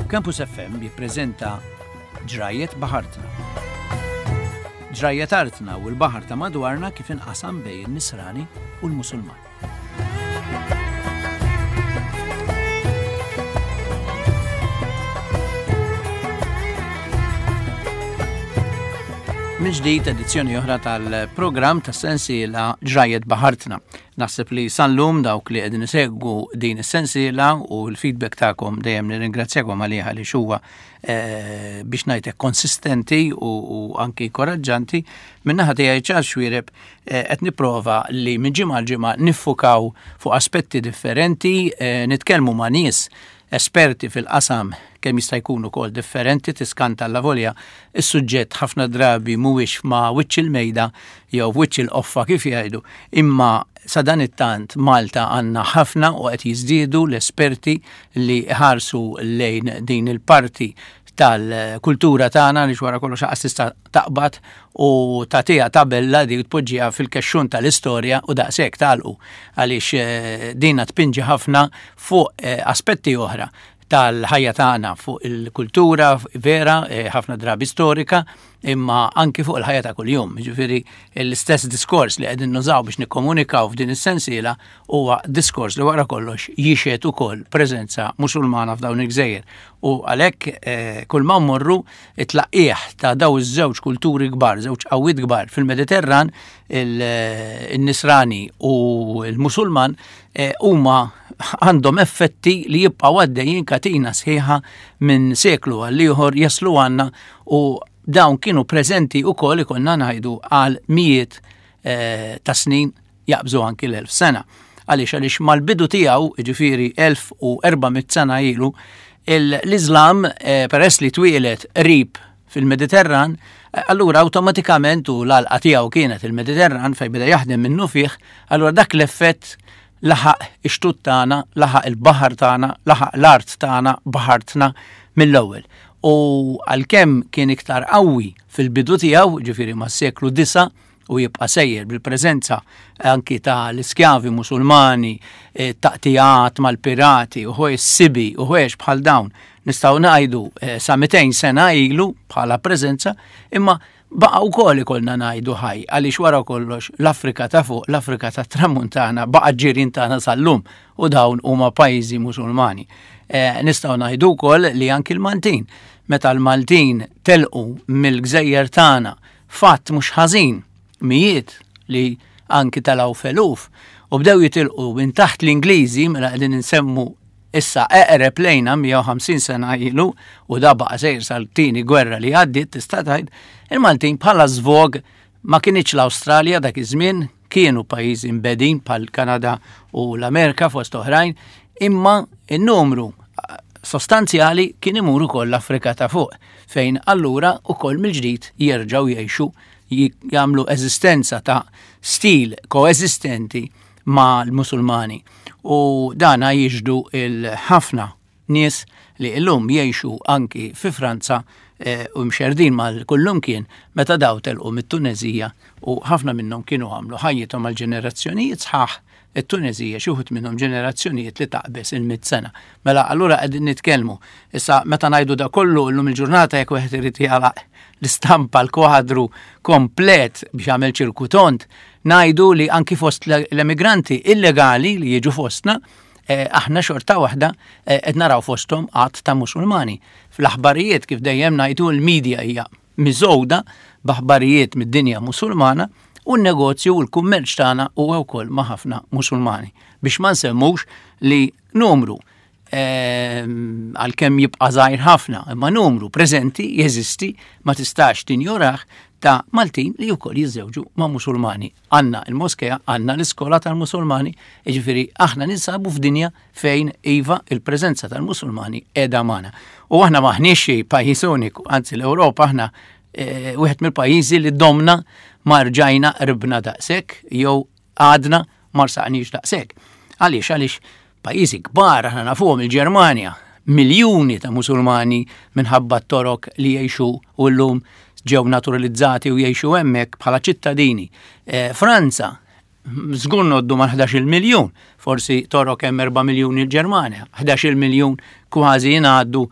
Campus FM jippreżenta Ġrajjet Baħartna. Ġrajjet artna u l-baħar ta' madwarna kif inqasam bejn in-Nisrani u l-Musulman. Minn ġdid edizzjoni oħra tal-programm ta' sensiela Ġrajjet Baħartna. Naħseb li sal-lum dawk li qegħdin isegwu din is-sensiela u l-feedback tagħkom dejjem nirringrazzjakom għaliha li huwa eh, biex ngħidlek konsistenti u, u anki koraġġanti. Min-naħa tiegħi Charles Xuereb eh, qed nipprova li minn ġimgħa l ġimgħa niffukaw fuq aspetti differenti, eh, nitkellmu ma' nies esperti fil-qasam kemm jista' jkun ukoll differenti tiskanta alla volja is-suġġett ħafna drabi mhuwiex ma' wiċċ il-mejda jew wiċċ il-qoffa kif jgħidu, imma sadanittant Malta għandna ħafna u qed jiżdiedu l-esperti li ħarsu lejn din il-parti tal-kultura tagħna li wara kollox aqas tista' taqbad u tagħtiha tabella di tpoġġiha fil-kexxun tal-istorja u daqshekk tagħlqu għaliex eh, dina tpinġi ħafna fuq eh, aspetti oħra tal-ħajja tagħna fuq il-kultura vera, eh, ħafna drabi storika, imma anki fuq il-ħajja ta' kuljum. Ġifieri l-istess diskors li qegħdin nużaw biex nikkomunikaw f'din is-sensiela huwa diskors li wara kollox jixhed ukoll preżenza Musulmana f'dawn il-gżejjer. U għalhekk eh, kull ma mmorru it-tlaqqieħ ta' daw iż-żewġ kulturi kbar, żewġ qawwiet kbar fil-Mediterran, il-Nisrani u l-Musulman eh, huma għandhom effetti li jibqgħu għaddejjin katina sħiħa minn seklu għal ieħor jaslu għandna u dawn kienu preżenti wkoll ikollna ngħidu għal mijiet eh, ta' snin jaqbżu anki l-1000 sena. Għaliex għaliex mal-bidu tiegħu, ġifieri 1400 sena ilu, l-Iżlam eh, peress li twieled qrib fil-Mediterran, eh, allura awtomatikament u l-għalqa tiegħu kienet il-Mediterran fejn beda jaħdem minnu fih, allura dak l-effett laħaq ix-xtut tagħna, laħaq il-baħar tagħna, laħaq l-art tagħna, baħartna mill-ewwel. U għalkemm kien iktar qawwi fil-bidu tiegħu, ġifieri mas-seklu 9, u jibqa' sejjer bil-preżenza anki ta' l-iskjavi Musulmani, eh, taqtijat mal-pirati u ħwejjeġ sibi u ħwejjeġ bħal dawn nistgħu ngħidu eh, sa 200 sena ilu bħala preżenza, imma baqa' wkoll ikollna ngħidu ħaj għaliex wara kollox l-Afrika ta' fuq, l-Afrika ta' Tramuntana baqa' ġirien tagħna sal-lum u dawn huma pajjiżi Musulmani. Eh, nistgħu ngħidu wkoll li anki l-Maltin, meta l-Maltin telqu mill-gżejjer tagħna Fatt mhux ħażin, mijiet li anki telgħu f'eluf u bdew jitilqu minn taħt l-Ingliżi mela qegħdin insemmu issa eqreb lejna 150 sena ilu u da baqa' sejr sal-tieni gwerra li għaddiet tista' tgħid, il-Maltin bħala żvog ma kinitx l-Awstralja dak iż-żmien, kienu pajjiżi mbegħdin bħal Kanada u l-Amerika fost oħrajn, imma n-numru sostanzjali kien imur ukoll l-Afrika ta' fuq, fejn allura ukoll mill-ġdid jerġgħu jgħixu jagħmlu eżistenza ta' stil koeżistenti ma' l-Musulmani. U dana jixhdu il-ħafna nies li illum jgħixu anki fi Franza eh, u mxerdin mal kullumkien meta daw telqu mit-Tunezija u ħafna minnhom kienu għamlu ħajjithom għal ġenerazzjonijiet sħaħ it-Tunezija xi wħud minnhom ġenerazzjonijiet li taqbeż il-mitt sena. Mela allura qegħdin nitkellmu. Issa meta ngħidu da kollu llum il-ġurnata jekk wieħed irid jagħlaq l-istampa l-kwadru komplet biex jagħmel ċirku tond, ngħidu li anki fost l-emigranti illegali li jiġu fostna, Eh, aħna xorta waħda eh, qed naraw fosthom għadd ta' Musulmani. Fl-aħbarijiet kif dejjem ngħidu l-medja hija miżgħuda b'aħbarijiet mid-dinja Musulmana u n-negozju u l-kummerċ tagħna huwa wkoll ma' ħafna Musulmani. Biex ma nsemmux li numru ehm, għalkemm jibqa' żgħir ħafna, imma numru preżenti jeżisti ma tistax tinjorah ta' Maltin li wkoll jiżżewġu ma' Musulmani. Għandna il-moskea, għandna l-iskola tal-Musulmani, jiġifieri aħna ninsabu f'dinja fejn iva il-preżenza tal-Musulmani qiegħda magħna. U aħna maħniex xi pajjiż uniku, anzi l-Ewropa aħna eh, wieħed mill-pajjiżi li domna ma rġajna qribna daqshekk jew għadna ma rsaqniex daqshekk. Għaliex għaliex pajjiżi kbar aħna nafuhom il-Ġermanja, miljuni ta' Musulmani minħabba t-Torok li jgħixu u llum ġew naturalizzati u jgħixu hemmhekk bħala ċittadini. Eh, Franza, żgur noddu ma' 11 miljun, forsi Torok hemm 4 miljuni l-Ġermanja, 11 miljun kważi jingħaddu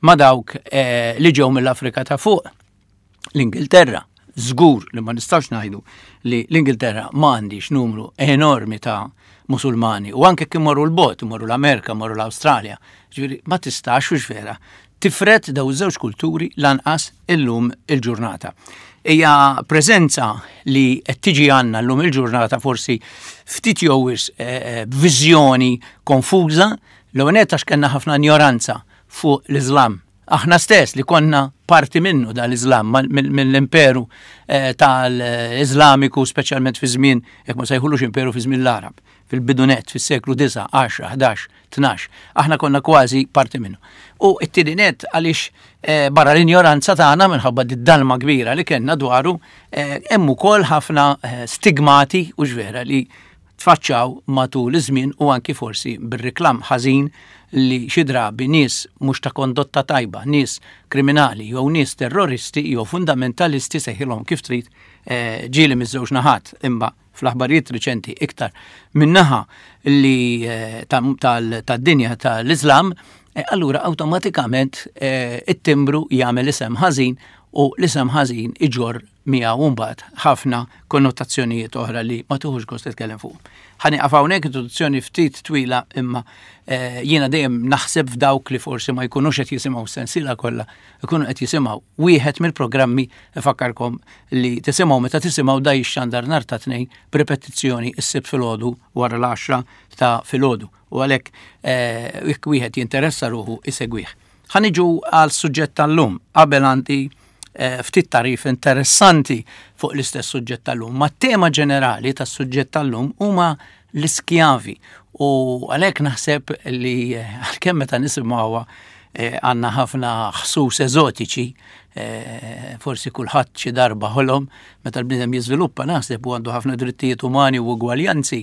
ma' dawk eh, li ġew mill-Afrika ta' fuq. L-Ingilterra, żgur li ma nistax ngħidu li l-Ingilterra ma għandix numru enormi ta' Musulmani u anke kien morru l-bot, morru l-Amerika, morru l-Awstralja. Ġifieri ma tistax u vera tifred daw iż-żewġ kulturi lanqas illum il-ġurnata. Hija preżenza li qed tiġi għandna llum il-ġurnata forsi ftit jew eh, eh, viżjoni konfuża l-ewwel għax kellna ħafna ignoranza fuq l-Iżlam Aħna stess li konna parti minnu dal-Iżlam, mill-imperu eh, tal-Iżlamiku, speċjalment fi żmien, jekk ma sejħulux imperu fi żmien l-Arab, fil-bidunet, fis-seklu 9, 10, 11, 12. Aħna konna kważi parti minnu. U t-tieni net għaliex eh, barra l-injoranza tagħna minħabba d-dalma kbira li kellna dwaru, eh, hemm ukoll ħafna stigmati u ġvera li tfaċċaw matul iż-żmien u anki forsi bir-riklam ħażin li xi drabi nies mhux ta' kondotta tajba, nies kriminali jew nies terroristi jew fundamentalisti sejħilhom kif trid eh, ġieli miż-żewġ naħat imma fl-aħbarijiet riċenti iktar min-naħa li eh, tad-dinja tal-Iżlam, eh, allura awtomatikament it-timbru jagħmel isem ħażin u l-isem ħażin iġorr miegħu mbagħad ħafna konnotazzjonijiet oħra li ma tuħux gost titkellem fuq. Ħa nieqaf hawnhekk introduzzjoni ftit twila imma eh, jiena dejjem naħseb f'dawk li forsi ma jkunux qed jisimgħu sensiela kollha, ikunu qed jisimgħu wieħed mill-programmi ifakkarkom li tisimgħu meta tisimgħu da jixxandar nhar ta' tnejn b'ripetizzjoni s-sibt filgħodu wara l-10 ta' filgħodu u għalhekk eh, jekk wieħed jinteressa ruħu isegwih. Ħa niġu għal suġġett tal-lum qabel għandi eh, ftit tarif interessanti fuq l-istess suġġett tal-lum. Ma tema ġenerali tas-suġġett tal-lum huma l-iskjavi u għalhekk naħseb li eh, għalkemm meta nisimgħuha eh, għandna ħafna ħsus eżotiċi, forsi kulħadd xi darba ħolom meta l-bniedem jiżviluppa naħseb u għandu ħafna drittijiet umani u ugwaljanzi,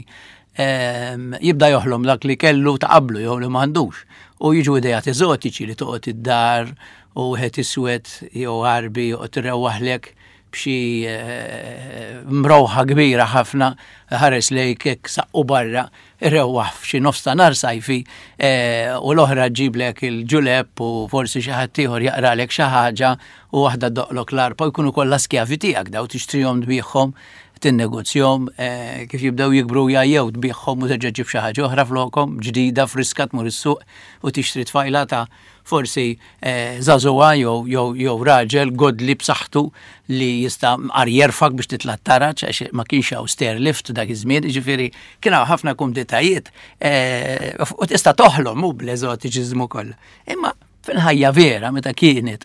jibda joħlom dak li kellu ta' qablu jew li m'għandux. U jiġu idejat eżotiċi li toqgħod id-dar u wieħed iswed jew għarbi joqgħod irewwaħlek b'xi eh, mrowħa kbira ħafna ħares lejk hekk saqqu barra irewwaħ f'xi nofs ta' nar sajfi eh, u l-oħra ġiblek il-ġuleb u forsi xi ħadd ieħor jaqralek xi ħaġa u waħda doqlok l-arpa jkunu kollha skjavi tiegħek daw tixtrihom tbigħhom tinnegozjahom, eh, kif jibdew jikbru jgħajjew tbigħhom u terġa' ġib xi ħaġa oħra flokhom, ġdida, friska tmur is-suq u tixtri tfajla ta' forsi eh, żagħżugħa jew jew jew raġel godli b'saħħtu li jista' mqar jerfak biex titla' t-taraġ għax ma kienx hawn stair lift dak iż-żmien, jiġifieri kien hawn ħafna kumditajiet eh, u tista' toħlom hu bl-eżotiċiżmu kollha. Imma fil-ħajja vera meta kienet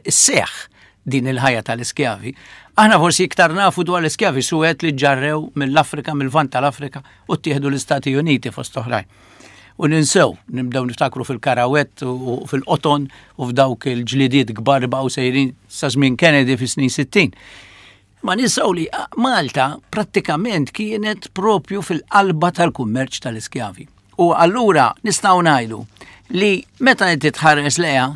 isseħħ din il-ħajja tal-iskjavi. Aħna forsi iktar nafu dwar l-iskjavi suwed li ġarrew mill-Afrika, mill-Lvant tal-Afrika u ttieħdu l-Istati Uniti fost oħrajn. U ninsew, nibdew niftakru fil-karawett u fil-qoton u f'dawk il-ġlidiet kbar baqgħu sejrin sa żmien Kennedy fis-snin 60. Ma ninsew li Malta prattikament kienet propju fil-qalba tal-kummerċ tal-iskjavi. U allura nistgħu ngħidu li meta inti tħares leha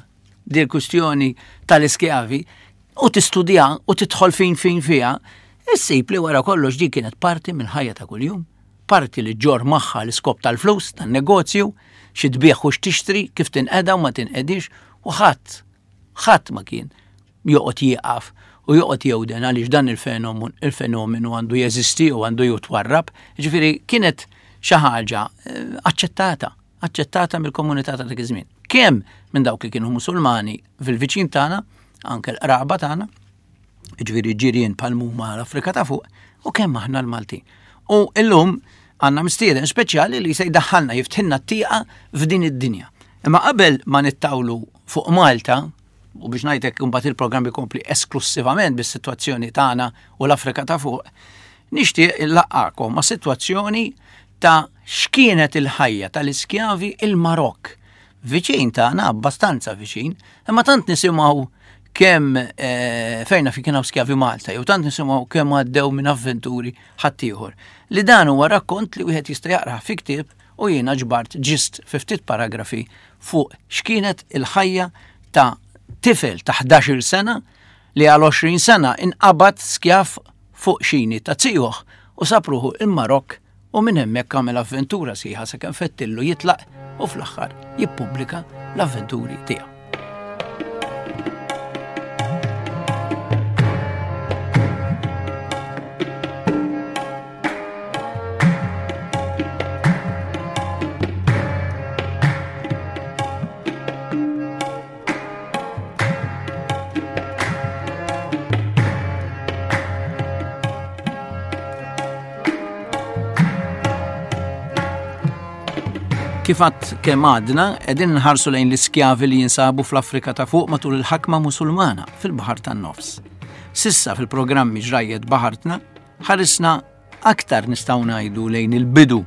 di l-kustjoni tal-iskjavi u tistudja u tidħol fin fin fiha, issib li wara kollox di kienet parti mill-ħajja ta' kuljum, parti li ġor magħha l-iskop tal-flus, tan-negozju, xi tbieħ u x'tixtri, kif tinqeda u ma tinqedix, u ħadd, ħadd ma kien joqgħod jieqaf u joqgħod jewden għaliex dan il-fenomenu għandu jeżisti u għandu jitwarrab. Ġifieri kienet xi ħaġa eh, aċċettata aċċettata mill-komunità ta' dak iż-żmien. Kemm minn dawk li kienu Musulmani fil-viċin tagħna, anke l-qraba tagħna, ġifieri ġirien bħal huma l-Afrika ta' fuq, u kemm aħna l-Maltin. U illum għandna mistieden speċjali li se jdaħħalna jiftħilna t-tieqa f'din id-dinja. Imma qabel ma nittawlu fuq Malta, u biex ngħidlek imbagħad il-programm ikompli esklussivament bis-sitwazzjoni tagħna u l-Afrika ta' fuq, nixtieq illaqgħakom ma' sitwazzjoni ta' x'kienet il-ħajja tal-iskjavi il-Marokk. Viċin tagħna, abbastanza viċin, imma tant nisimgħu kemm eh, fejna fi kien skjavi Malta, jew tant nisimgħu kemm għaddew minn avventuri ħaddieħor. Li dan huwa rakkont li wieħed jista' jaqra fi ktieb u jiena ġbart ġist fi ftit paragrafi fuq x'kienet il-ħajja ta' tifel ta' 11-il sena li għal 20 sena inqabad skjav fuq xini ta' zijuh u sab ruħu il-Marokk u minn hemmhekk għamel avventura sħiħa sakemm fettillu jitlaq u fl-aħħar jippubblika l-avventuri tiegħu. Kif għad kemm għadna, qegħdin nħarsu lejn l-iskjavi li jinsabu fl-Afrika ta' fuq matul il-ħakma Musulmana fil-Baħar tan-Nofs. Sissa fil-programmi ġrajjet baħartna, ħarisna aktar nistgħu ngħidu lejn il-bidu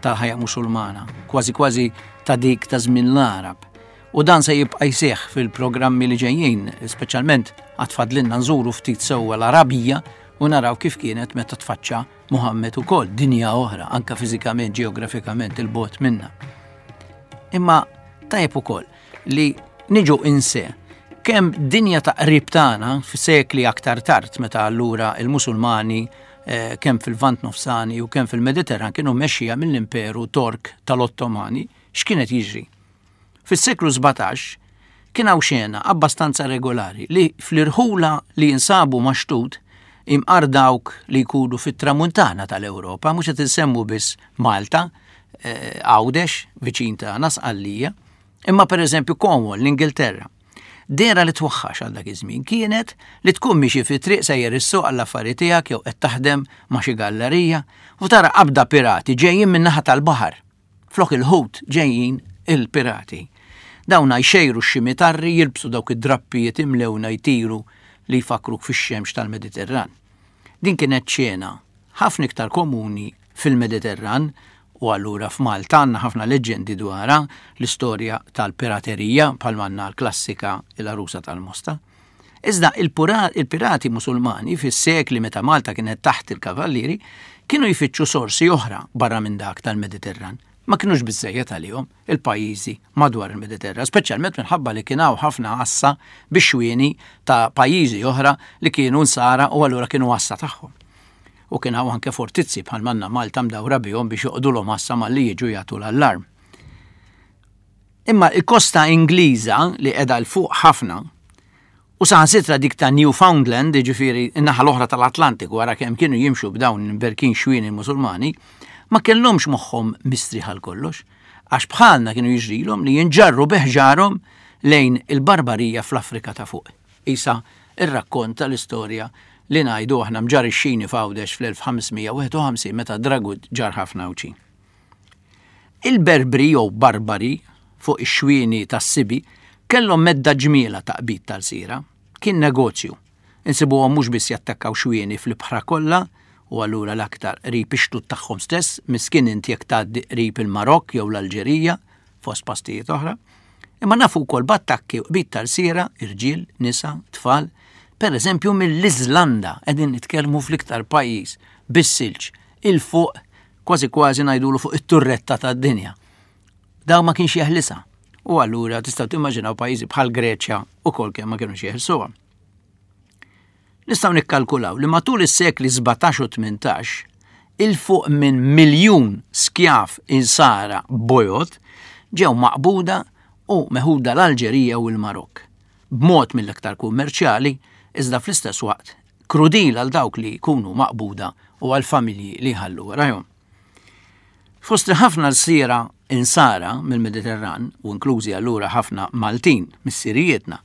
tal-ħajja Musulmana, kważi kważi ta' dik ta' żmien l-Għarab. U dan se jibqa' jseħħ fil-programmi li ġejjin, speċjalment għad fadlilna nżuru ftit sewwa l-Arabija u naraw kif kienet meta tfaċċa Muhammed ukoll, dinja oħra, anka fiżikament, ġeografikament il-bot minna. Imma tajjeb ukoll li niġu inse kemm dinja ta' qrib tagħna f'sekli aktar tard meta allura il-Musulmani eh, kemm fil-Vant Nofsani u kemm fil-Mediterran kienu mexxija mill-Imperu Tork tal-Ottomani, x'kienet jiġri? Fis-seklu 17 kien hawn xena abbastanza regolari li fl-irħula li jinsabu maxtut imqar dawk li jkunu fit-tramuntana tal-Ewropa, mhux qed insemmu biss Malta, eh, Għawdex, viċin tagħna Sqallija, imma pereżempju Cornwall, l-Ingilterra. Dera li twaħħax għal dak iż-żmien kienet li tkun miexi fi triq sejjer issuq għall-affari tiegħek jew qed taħdem ma' xi gallerija u tara qabda pirati ġejjin min-naħa tal-baħar. Flok il-ħut ġejjin il-pirati. Dawna jxejru x-ximitarri jilbsu dawk id-drappijiet imlewna jtiru li jfakkruk fix-xemx tal-Mediterran. Din kienet xena ħafna iktar komuni fil-Mediterran u allura f'Malta għandna ħafna leġġendi dwarha, l-istorja tal-piraterija bħalma għandna l-klassika Il-Għarusa tal-Mosta. Iżda il-pirati Musulmani fis-sekli meta Malta kienet taħt il-Kavallieri kienu jfittxu sorsi oħra barra minn dak tal-Mediterran. Ma kinux biżżejjed għalihom il-pajjiżi madwar il-Mediterran, speċjalment minħabba li kien hawn ħafna għassa bix-xwieni ta' pajjiżi oħra li kienu nsara u allura kienu għassa tagħhom. U kien hawn anke fortizzi bħal manna Malta mdawra bihom biex joqogħdulhom għassa malli jiġu jagħtu l-allarm. Imma il-kosta Ingliża li qiegħda 'l fuq ħafna u saħansitra dik ta' Newfoundland, jiġifieri n-naħa l-oħra tal-Atlantiku wara kemm kienu jimxu b'dawn l-imberkin xwien il-Musulmani, ma kellhomx moħħhom mistrieħ għal kollox, għax bħalna kienu jiġrilhom li jinġarru bi ħġarhom lejn il-barbarija fl-Afrika ta' fuq. Qisha r-rakkont tal-istorja li ngħidu aħna mġarr ix-xini f'Għawdex fl-1551 meta Dragut ġarr ħafna Għawdxin. Il-Berbri jew Barbari fuq ix-xwieni tas-Sibi kellhom medda ġmielha ta' qbid tal-lsira. Kien negozju. Insibuhom mhux biss jattakkaw xwieni fl-ibħra kollha u allura l-aktar qrib ix-xtut tagħhom stess, miskin int jekk tgħaddi qrib il-Marokk jew l-Alġerija, fost postijiet oħra, imma nafu wkoll b'attakki u qbid ta' lsiera, irġiel, nisa, tfal, pereżempju mill-Iżlanda, qegħdin nitkellmu fl-iktar pajjiż bis-silġ 'il fuq kważi kważi ngħidulu fuq it-turretta tad-dinja. Daw ma kienx jeħlisa. U allura tistgħu timmaġinaw pajjiżi bħal Greċja ukoll kemm ma kienux jeħilsuha. Nistgħu nikkalkulaw li matul is-sekli 17 u 18 il fuq minn miljun skjav insara bojod ġew maqbuda u meħuda l-Alġerija u l-Marokk. B'mod mill-iktar kummerċjali, iżda fl-istess waqt krudil għal dawk li jkunu maqbuda u għal familji li jħallu warajhom. Fost ħafna lsiera insara mill-Mediterran, u inklużi allura ħafna Maltin missirijietna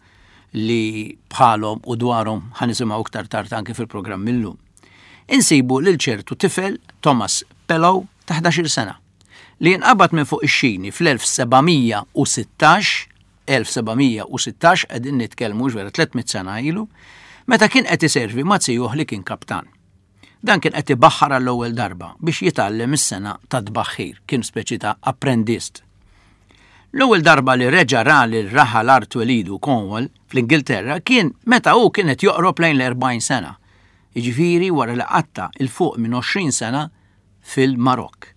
li bħalhom u dwarhom ħanisimgħu iktar tard anke fil-programm illum. Insibu lil ċertu tifel Thomas Pellow ta' 11-il sena li jinqabad minn fuq ix-xini fl-1716 1716 qegħdin nitkellmu vera 300 sena ilu, meta kien qed iservi ma' zijuh li kien kaptan. Dan kien qed ibaħħar għall-ewwel darba biex jitgħallem is-sengħa tat-tbaħħir, kien speċi ta' apprendist. L-ewwel darba li reġa' ra lil raħal art twelidu Cornwall fl-Ingilterra kien meta hu kien qed joqrob lejn l-40 sena, jiġifieri wara li qatta' 'l fuq minn 20 sena fil-Marokk.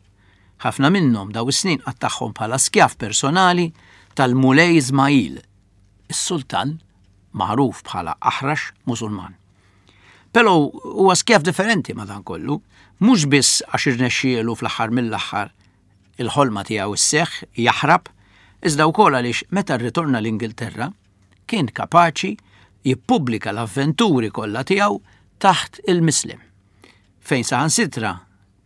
Ħafna minnhom daw is-snin qattagħhom bħala skjav personali tal-Mulej Ismail, is-sultan magħruf bħala aħrax Musulman. Però huwa skjav differenti madankollu, mhux biss għax irnexxielu fl-aħħar mill-aħħar il-ħolma tiegħu sseħħ, jaħrab, iżda wkoll għaliex meta rritorna l-Ingilterra kien kapaċi jippubblika l-avventuri kollha tiegħu taħt il-Muslim. fejn saħansitra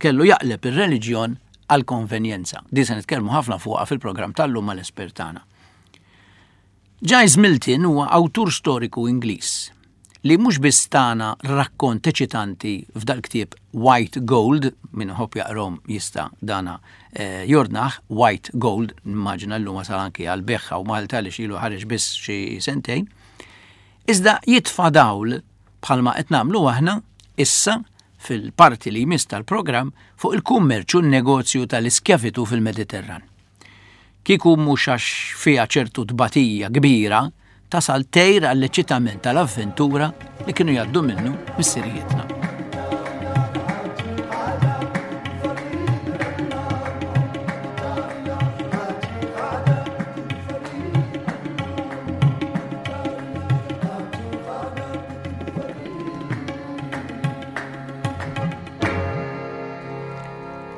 kellu jaqleb ir-reliġjon għall-konvenjenza. Din se nitkellmu ħafna fuqha fil-programm tal-lum mal-espert tagħna. Giles Milton huwa awtur storiku Ingliż li li mhux biss tana rakkont eċitanti f'dal-ktieb White Gold, min iħobb jaqrahom jista' dana eh, jordnah, White Gold, nimmaġina llum wasal anki għal bejgħ hawn Malta li ilu ħareġ biss xi sentejn, iżda jitfa' dawl bħalma qed nagħmlu aħna issa fil-parti li jmiss tal-programm fuq il-kummerċ u n-negozju tal-iskjavitu fil-Mediterran. Kieku mhux għax fiha ċertu tbatija kbira, tasal tgħir għall-eċitament tal-avventura li kienu jgħaddu minnu missirijietna.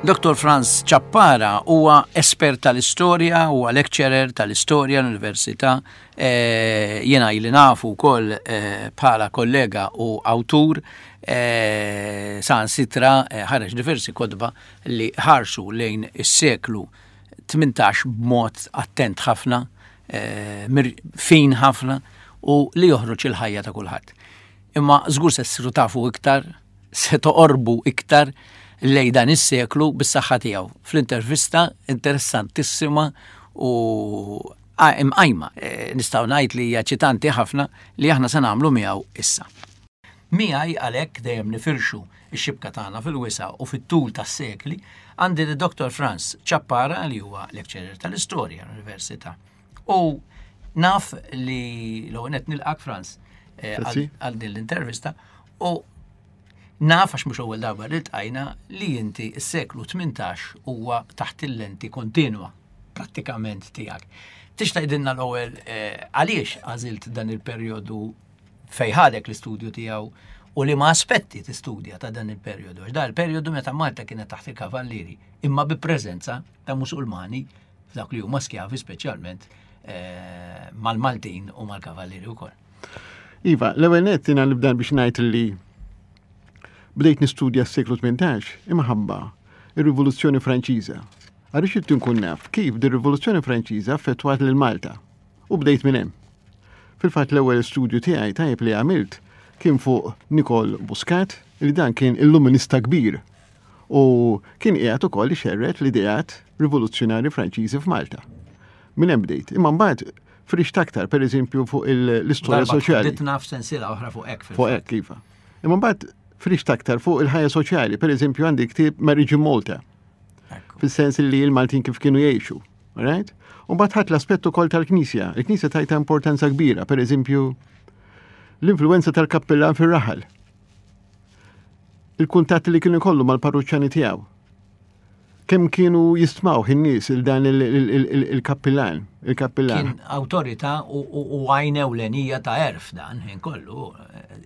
Dr. Franz Ciappara huwa espert tal-istorja, huwa lecturer tal-istorja l-Università, eh, jiena ili nafu wkoll eh, bħala kollega u awtur eh, saħansitra ħareġ diversi kotba li ħarsu lejn is-seklu 18 b'mod attent ħafna, fin ħafna u li joħroġ il-ħajja ta' kulħadd. Imma żgur se ssiru tafu iktar se toqorbu iktar lejn dan is-seklu bis-saħħa tiegħu. Fl-intervista interessantissima u imqajma, eh, nistgħu ngħid li hija ċitanti ħafna li aħna se nagħmlu miegħu issa. Miegħi għalhekk dejjem nifirxu x-xibka tagħna fil-wisa u fit-tul tas-sekli għandi li Dr. Franz Ciappara li huwa lecturer tal-istorja l-Università. U naf li l-ewwel qed nilqak Franz eh, għal din l-intervista u naf għax mhux ewwel darba li ltqajna li inti s-seklu 18 huwa taħt il-lenti kontinwa prattikament tiegħek. Tix tgħidilna l-ewwel eh, għaliex għażilt dan il-perjodu fejħalek l-istudju tiegħu u li ma aspetti tistudja ta' dan il-perjodu. Għax dan il-perjodu meta Malta kienet taħt il-kavallieri, imma bi preżenza ta' Musulmani f'dawk li huma skjavi speċjalment eh, mal-Maltin u mal-kavallieri wkoll. Iva, l-ewwel nett jiena nibda biex ngħid li bdejt nistudja s-seklu 18 imħabba ir-Rivoluzzjoni Franċiża. Għaliex irid nkun naf kif di rivoluzzjoni Franċiża affettwat lil Malta. U bdejt minn hemm. Fil-fatt l-ewwel studju tiegħi tajjeb li għamilt kien fuq Nicole Buscat, li dan kien illuminista kbir u kien qiegħed ukoll ixerred l-ideat rivoluzzjonarji Franċiżi f'Malta. Minn hemm bdejt. Imma mbagħad frixt aktar, per eżempju, fuq l-istorja soċjali. Ditna f'sensiela oħra fuq hekk. Fuq hekk, iva. Imma mbagħad frixt aktar fuq il-ħajja soċjali, per eżempju, għandi ktieb Marriage in Malta. Fis-sens li l-Maltin kif kienu jgħixu. Right? U mbagħad ħadd l-aspett ukoll tal-Knisja. Il-Knisja tajta importanza kbira, per eżempju, l-influenza tal-kappellan fir-raħal. Il-kuntatt li kienu jkollu mal-parruċċani tiegħu. Kemm kienu jistmaw in-nies il dan il-kappillan, il-kappillan. Kien awtorità u għajn ewlenija ta' erf dan ħin kollu.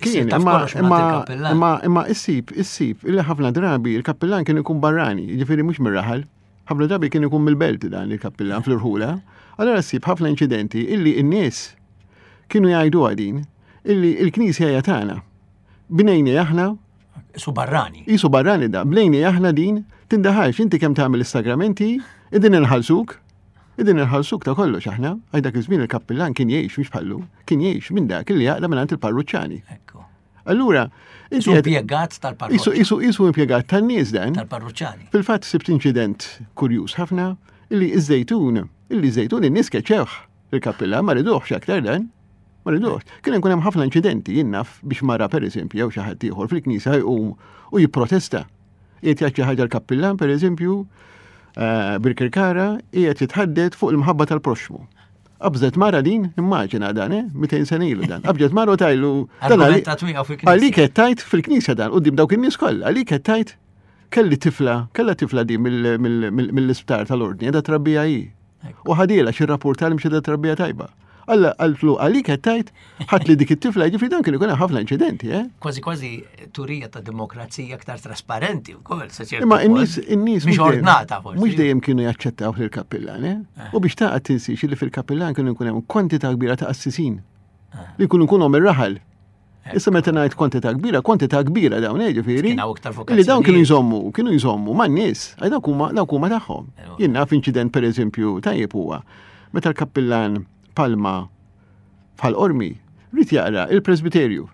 Kien, imma imma imma issib, issib, illi ħafna drabi il-kappillan kien ikun barrani, jiġifieri mhux mir-raħal. Ħafna drabi kien ikun mill-belt dan il-kappillan fl-irħula. Allora ssib ħafna inċidenti illi n-nies kienu jgħidu din illi il-knisja hija tagħna. Bnejni aħna. Isu barrani. Isu barrani da. Bnejni aħna din, tindaħalx inti kemm tagħmel is-sagramenti, idin inħallsuk. Idin inħallsuk ta' kollox aħna. Għaj dak iż-żmien il-kappillan kien jgħix mhux bħallu, kien jgħix minn dak li jaqla minn il-parruċċani. Ekku. Allura, inti impjegat tal-parruċċani. Isu isu impjegat tan-nies dan. Tal-parruċċani. Fil-fatt sibt inċident kurjuż ħafna illi iż-żejtun, illi żejtun in-nies keċewh il-kappillan ma riduhx aktar dan. Ma ridux. Kien ikun hemm ħafna inċidenti jien naf biex mara pereżempju jew xi ħadd ieħor fil-knisja jqum u jipprotesta. Qiegħed jgħid xi ħaġa l-kappillan pereżempju eh, Birkirkara qiegħed jitħaddet fuq il-mħabba tal-proxxmu. Qabżet mara din, immaġina dan, eh? 200 sena ilu dan. Qabżet mara u tajlu. Għalik qed tajt fil-knisja dan, quddiem dawk in-nies kollha, għalik qed tajt kelli tifla, kella tifla din mill-isptar tal-ordni, qiegħda trabbija hi. U ħadila xi rapport tal mxi trabbija tajba. Alla qaltlu għalik qed tgħid ħadd li dik it-tifla jiġifieri dan kien ikun hemm ħafna inċidenti, eh? Kważi kważi turija ta' demokrazija aktar trasparenti wkoll. Imma in-nies in-nies mhux ordnata forsi. Mhux dejjem kienu jaċċettaw lill-kappillan, eh? eh? U biex taqgħod tinsiex li fil-kappillan kienu jkun hemm kwantità kbira ta' qassisin. Eh. Li jkunu jkunhom ir-raħal. Issa meta ngħid kwantità kbira, kwantità kbira dawn eh, ġifieri. Li dawn kienu jżommu, kienu jżommu man-nies, għaj dawk huma dawk huma tagħhom. Jien naf inċident pereżempju tajjeb huwa meta l-kappillan Palma bħal Qormi rrid jaqra il-presbiterju.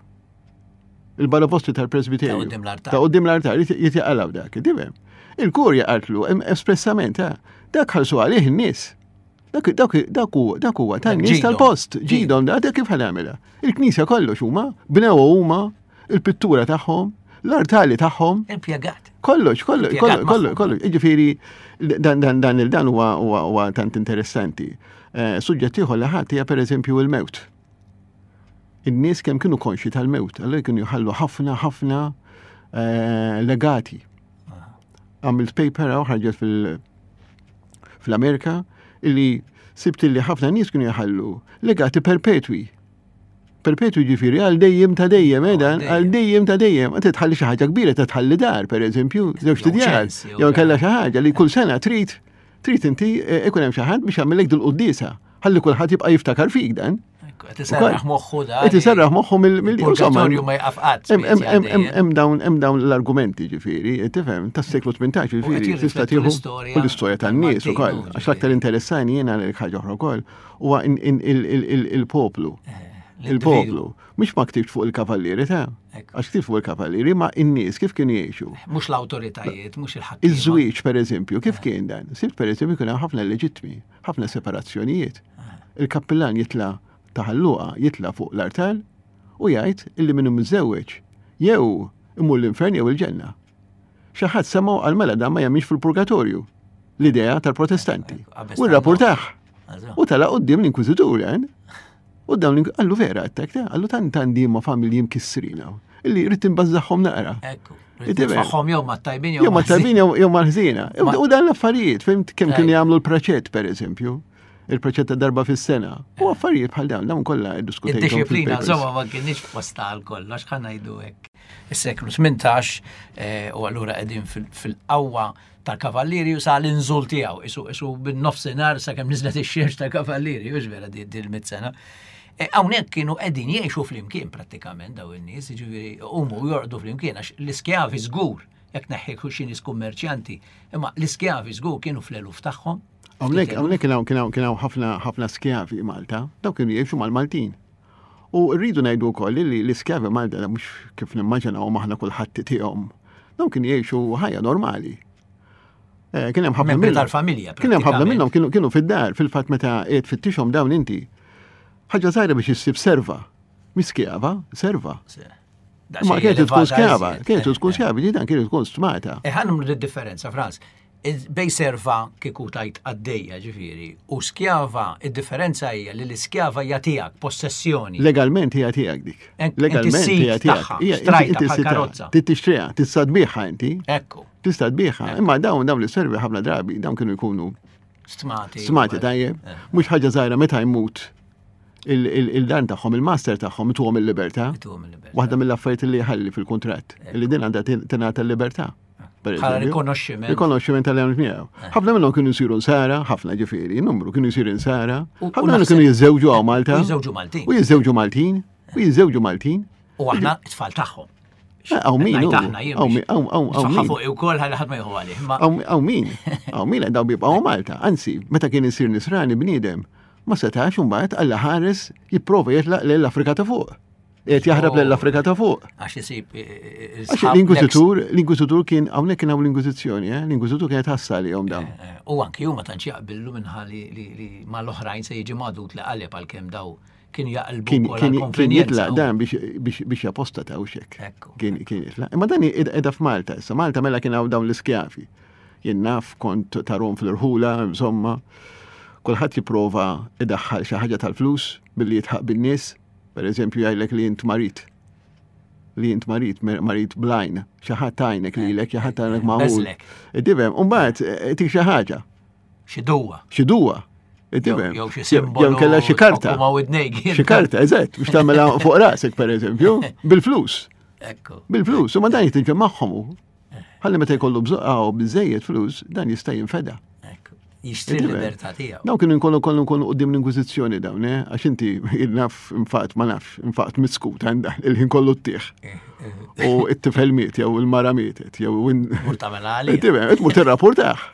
Il-balabostri tal-presbiterju. Ta' quddiem l-artal. Ta' quddiem l-artal, jitjaqalaw dak, tifhem. Il-kurja qaltlu espressament, eh, dak ħalsu għalih in-nies. Dak dak dak huwa dak huwa tan-nies tal-post, ġidhom dak kif ħanagħmilha. Il-knisja kollox huma, bnew huma, il-pittura tagħhom, l-artali tagħhom. Impjegat. Kollox, kollox, kollox, kollox, kollox. Jiġifieri dan dan dan il-dan huwa huwa tant interessanti. Eh, suġġett ieħor li ħadd hija pereżempju il-mewt. In-nies kemm kienu konxi tal-mewt, allura kienu jħallu ħafna ħafna eh, legati. Għamilt paper hawn ħarġet fil- fl-Amerika illi sibt illi ħafna nies kienu jħallu legati perpetwi. Perpetwi ġifieri għal dejjem ta' dejjem, eh, dan, għal dejjem ta' dejjem. Għad tħalli xi ħaġa kbira ta' tħalli dar, pereżempju, żewġ tidjar, jew kellha xi ħaġa li kull sena trid trid inti eh, ikun hemm xi ħadd biex jagħmellek dil-quddiesa. Ħalli kulħadd jibqa' jiftakar fik dan. Qed iserraħ moħħu da. Qed iserraħ moħħu mill-purgatorju ma jqaf qatt. Hemm dawn hemm dawn l-argumenti ġifieri, tifhem, tas-seklu 18 ġifieri tista' tieħu l-istorja tan-nies ukoll. Għax l-aktar interessani jiena l ħaġa oħra wkoll huwa il-poplu. Eh, Il-poplu. Mhux ma ktibx fuq il-kavallieri ta' għax ktibx fuq il-kavallieri ma in-nies kif kienu jgħixu. Mhux l-awtoritajiet, mhux il-ħakkiema. Iż-żwieġ pereżempju, kif kien dan? Sibt pereżempju kien hemm ħafna leġittmi, ħafna separazzjonijiet. Il-kappillan jitla' ta' Ħal Luqa jitla' fuq l-artal u jgħid illi min hu miżżewweġ jew imur l-infern jew il-ġenna. Xi ħadd semgħu qal mela dan ma jemminx fil-purgatorju. L-idea tal-Protestanti. U rrapportah. U tala' quddiem l-Inkwiżitur, eh? U dawn qallu vera għattek, qallu tant għandi ma familji mkissrin hawn. Illi rrid imbażżagħhom naqra. Ekku. Titfaħħom jew ma tajbin jew ma tajbin jew ma ħżiena. U dan l-affarijiet, fimt kemm kienu jagħmlu l-praċett pereżempju il-proċett ta' darba fis-sena. U affarijiet bħal dawn, dawn kollha iddiskutejthom. Id-disciplina, insomma, ma kienx posta għal kollox, ħa ngħidu hekk. Is-seklu 18 eh, u allura qegħdin fil-qawwa tal-kavallieri u sa l-inżul tiegħu, isu isu bin-nofsinhar sakemm niżlet ix-xemx tal-kavallieri, hux vera di l-mit sena. E, hawnhekk kienu qegħdin jgħixu flimkien prattikament daw in-nies, jiġifieri huma jorqdu flimkien għax l-iskjavi żgur jekk neħħi xi nies kummerċjanti, imma l-iskjavi żgur kienu fl-eluf tagħhom. Hawnhekk hawnhekk kien hawn kien hawn kien hawn ħafna ħafna skjavi Malta, daw kienu jgħixu mal-Maltin. U rridu ngħidu wkoll li l-iskjavi Malta mhux kif nimmaġinaw aħna kulħadd tihom. Dawn kienu jgħixu ħajja normali. Eh, kien hemm ħafna minnhom tal-familja. Kien hemm ħafna minnhom kienu kienu fid-dar fil-fatt meta qiegħed fittixhom dawn inti. Ħaġa żgħira biex issib serva. Miskjava, serva. Ma kienet tkun skjava, kienet tkun skjava, dan kienet tkun stmata. Eh, ħa nagħmlu differenza, Franz. Bej serva kieku tajt qaddejja ġifieri u skjava id-differenza hija li l-iskjava hija tiegħek, possessjoni. Legalment hija tiegħek dik. Legalment hija tiegħek. Xtrajtha bħal karozza. Trid tixtriha, tista' tbigħha inti. Ekku. Tista' tbigħha, imma dawn dawn li servi ħafna drabi dawn kienu jkunu stmati. Stmati tajjeb. Eh. Mhux ħaġa żgħira meta jmut il-dan tagħhom, il-master tagħhom ituhom il-libertà. Waħda mill-affarijiet li jħalli fil-kuntratt, li din għandha tingħata l-libertà. Bħala rikonoxximent. Rikonoxximent tal-għamil miegħu. Eh. Ħafna minnhom kienu jsiru nsara, ħafna ġifieri, numru kienu jsiru nsara. Ħafna minnhom kienu jiżżewġu għaw Malta. U jiżżewġu Maltin. U jiżżewġu Maltin. U jiżżewġu Maltin. U aħna t-tfal tagħhom. Eh, għaw min, għaw min, għaw min. Fuq u kol ħalli ħadd ma jieħu għalih. Għaw min, għaw min, daw bibqgħu Malta. Anzi, meta kien isir nisrani bniedem, ma setax imbagħad Alla ħares jipprova jitlaq lejn l-Afrika ta' fuq. Qed jaħrab lejn l-Afrika ta' fuq. Għax isib eh, eh, eh, l-Inkwiżitur, l-Inkwiżitur kien hawnhekk kien hawn l-Inkwiżizzjoni, eh? l-Inkwiżitur kienet ħassa għalihom dawn. U anki huma tantx jaqbillu minħa li mal-oħrajn se jiġi magħdud li qaleb għalkemm daw kien jaqilbu kien jitlaq dan biex japostata u xek. Kien jitlaq. Imma dan edha f'Malta issa, Malta mela kien hawn dawn l-iskjavi. Jien naf kont tarom fl-irħula, insomma, kulħadd jipprova idaħħal xi ħaġa tal-flus billi jitħaq bin-nies. Per eżempju jgħidlek li int marid. Li int marid, marid blajn. Xi ħadd għajnek lilek, xi ħadd għajnek magħmul. Tifhem, u mbagħad eh, tik xi ħaġa. Xi duwa. Xi duwa. Tifhem. Jew xi simbolu. Jew kellha xi karta. Xi karta, eżatt, biex tagħmilha fuq rasek pereżempju, bil-flus. Ekku. Bil-flus, u ma dan jitinġa magħhom hu. Ħalli meta jkollu bżoqqaw biżejjed flus, dan jista' jinfeda. Jixtri l-libertà tiegħu. Dawn kienu nkollu kollu nkunu qudiem l-Inkwiżizzjoni dawn, eh? għax inti naf infatt ma nafx, infatt miskut għandha il-ħin kollu t-tieħ. Eh, eh. U it-tifel miet jew il-mara mietet jew Mur tagħmel għalih. Tmur tirrapportah.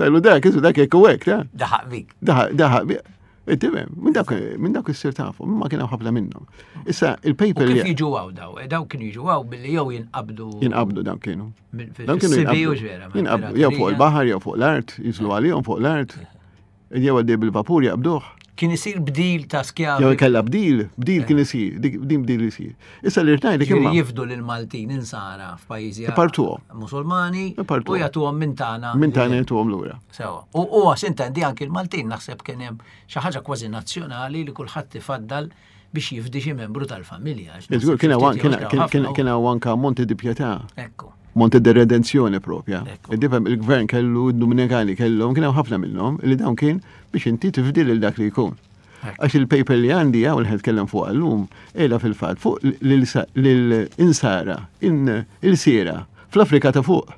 Tajlu dak, isu dak hekk u hekk, ta? Daħaq bik. Daħaq, daħaq bik. Tifhem, minn dawk minn dawk issir tafu, imma kien hawn ħafna minnhom. Issa il-paper li. Kif jiġu hawn daw? Eh, daw kienu jiġu hawn billi jew jinqabdu. Jinqabdu dawn kienu. Dawn kienu jinqabdu. Jinqabdu jew fuq il-baħar jew fuq l-art, jiżlu għalihom fuq l-art. Jew għaddej bil-vapur jaqbduh. Kien isir bdil ta' skjavi. Jew kella bdil, bdil kien isir, din bdil isir. Issa li rtajli kien. Jifdu lil Maltin insara f'pajjiżi. Ipartuhom. Musulmani u jagħtuhom minn tagħna. Minn tagħna jagħtuhom lura. Sewa. U huwa sintendi anki l-Maltin naħseb kien hemm xi ħaġa kważi nazzjonali li kulħadd ifaddal biex jifdi xi membru tal-familja. Iżgur kien hawn anka Monte di Pietà. Ekku. Monte di Redenzjoni propja. Id-difem il-gvern kellu, id-Dominikani kellhom, kien hawn ħafna minnhom li dawn kien biex inti tifdi lil dak li jkun. Għax il-paper li għandi għaw li tkellem fuq għallum, qiegħda fil-fatt fuq l-insara, il-sira, fl-Afrika ta' fuq.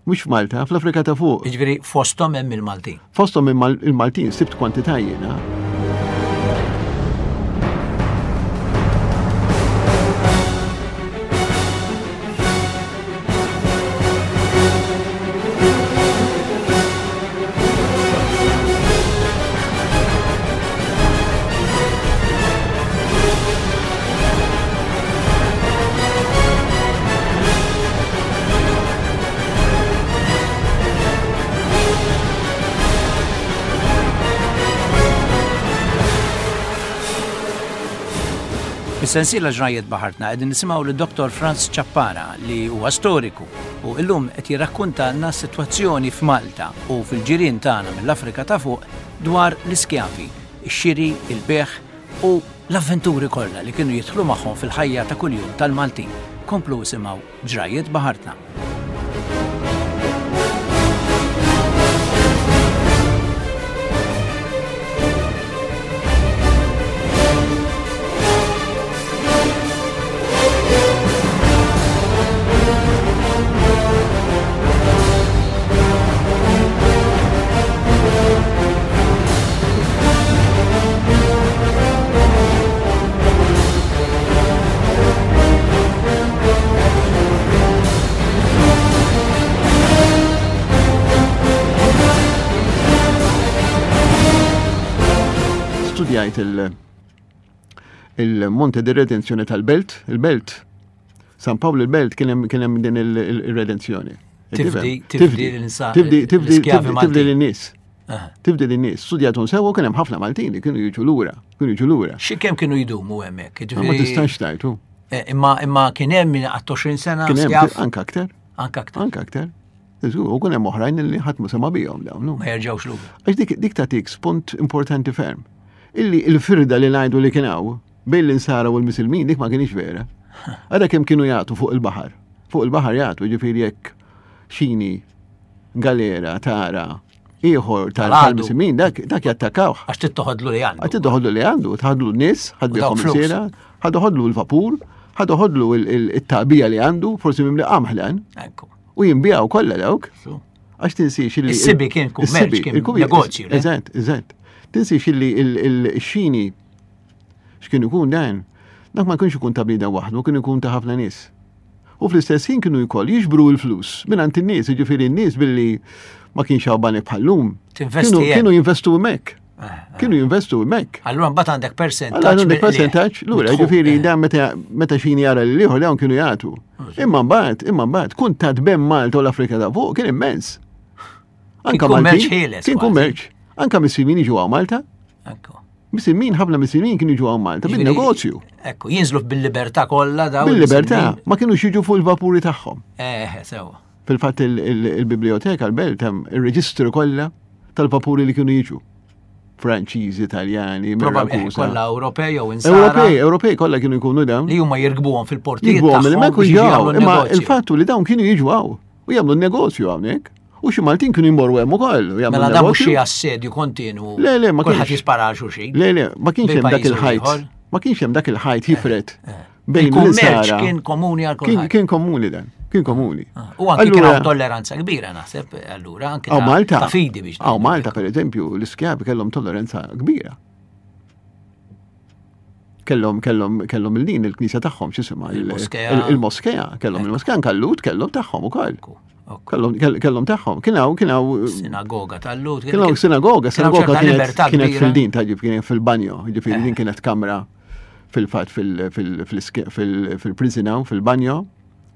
Mhux f'Malta, fl-Afrika ta' fuq. Jiġifieri fosthom hemm il-Maltin. Fosthom il-Maltin sibt kwantità jiena. Fis-sensiela Ġrajjiet Baħartna qegħdin nisimgħu lil Dr. Franz Ciappara li huwa storiku u illum qed jirrakkuntalna s-sitwazzjoni f'Malta u fil-ġirien tagħna mill-Afrika ta' Fuq dwar l-iskjavi, ix-xiri, il-bejgħ u l-avventuri kollha li kienu jidħlu magħhom fil-ħajja ta' kuljum tal-Maltin. Komplu isimgħu Ġrajjiet Baħartna. Studjajt il-Monte di Redenzjoni tal-Belt, il-Belt San Pawl il-Belt kien hemm din il-redenzjoni. Tifdi, tifdi l-insa. Tifdi, tifdi, tifdi l-nies. Tifdi l-nies. Studjatun sewa kien hemm ħafna Maltin li kienu jiġu lura, kienu jiġu lura. Xi kemm kienu jdumu hemmhekk? Ma tistax tajtu. Eh, imma imma kien hemm min qatt 20 sena. Kien hemm anke aktar. Anke aktar. Anke aktar. U kien hemm oħrajn li ħadd ma sema bihom dawn. Ma jerġgħux lura. Għax dik dik tagħtik spunt importanti ferm. Illi l-firda li ngħidu li kien hawn Bejn l-insara u l-misilmin dik ma kienx vera. Ara kemm kienu jagħtu fuq il-baħar. Fuq il-baħar jagħtu, ġifieri jekk xini galera tara ieħor tal-misilmin dak dak jattakawh. Għax tittoħodlu li għandu. Għax tittoħodlu li għandu, tħadlu n-nies, ħadbihom il-sira, ħadoħodlu l-vapur, ħadoħodlu il-taqbija li għandu, forsi mimli qamħlan. U jinbijaw kollha dawk. Għax tinsiex li. Is-sibi kien kummerċ, kien negozju. Eżatt, eżatt. Tinsiex li il-xini X'kien ikun dan? Dak ma kienx ikun ta' bniedem waħdu, kien ikun ta' ħafna nies. U fl-istess ħin kienu jkoll jiġbru l-flus mingħand in-nies, jiġifieri n-nies billi ma kienx hawn banek bħal-lum. Kienu jinvestu hemmhekk. Eh, eh. Kienu jinvestu hemmhekk. Allura mbagħad għandek percentaġġ. Għandek percentaġġ, lura, jiġifieri eh. dan meta xini jara lil ieħor dawn kienu jagħtu. Imma mbagħad, imma mbagħad, kuntatt bejn Malta u l-Afrika ta' fuq kien immens. Anka kummerċ ħieles. Kien kummerċ. Anka mis-simin jiġu għaw Malta. Misilmin, ħafna misilmin kienu jiġu għaw Malta, bin-negozju. Ekku, jinżlu bil-libertà kollha dawn. Bil-libertà, ma kienu jiġu fuq il-vapuri tagħhom. Eh, sewa. Fil-fatt il-biblioteka l-belt hemm ir-reġistru kollha tal-vapuri li kienu jiġu. Franċiżi, Italjani, eh, Kollha Ewropej jew insara. Ewropej, Ewropej kollha kienu jkunu dawn. Li huma jirkbuhom fil-portijiet. Jirkbuhom, li ma jkunu Imma il-fattu li dawn kienu jiġu hawn u jagħmlu negozju hawnhekk. U xi Maltin kienu jmorru hemm ukoll. Mela dan mhux xi assedju kontinu. Le, le, ma kienx. Kulħadd jispara għal xulxin. Le, le, ma kienx hemm dak il-ħajt. Ma kienx hemm dak il-ħajt jifred. Eh, eh. Bejn il-kummerċ kien komuni għal kulħadd. Kien komuni dan, kien komuni. Ah, u anki kien hawn tolleranza kbira naħseb allura anke ta' fidi biex. Aw Malta pereżempju l-iskjavi kellhom tolleranza kbira kellhom kellhom kellhom il-din il-knisja tagħhom x'isimha il-moskea. Il-moskea, kellhom il-moskea anke l-Lhud kellhom tagħhom ukoll. Kellhom tagħhom. Kien hawn kien hawn sinagoga tal-Lut. Kien hawn sinagoga, sinagoga kienet fil-din ta' kienet fil-banjo, ġifieri din eh. kienet kamra fil-fatt fil-prison hawn fil-banjo,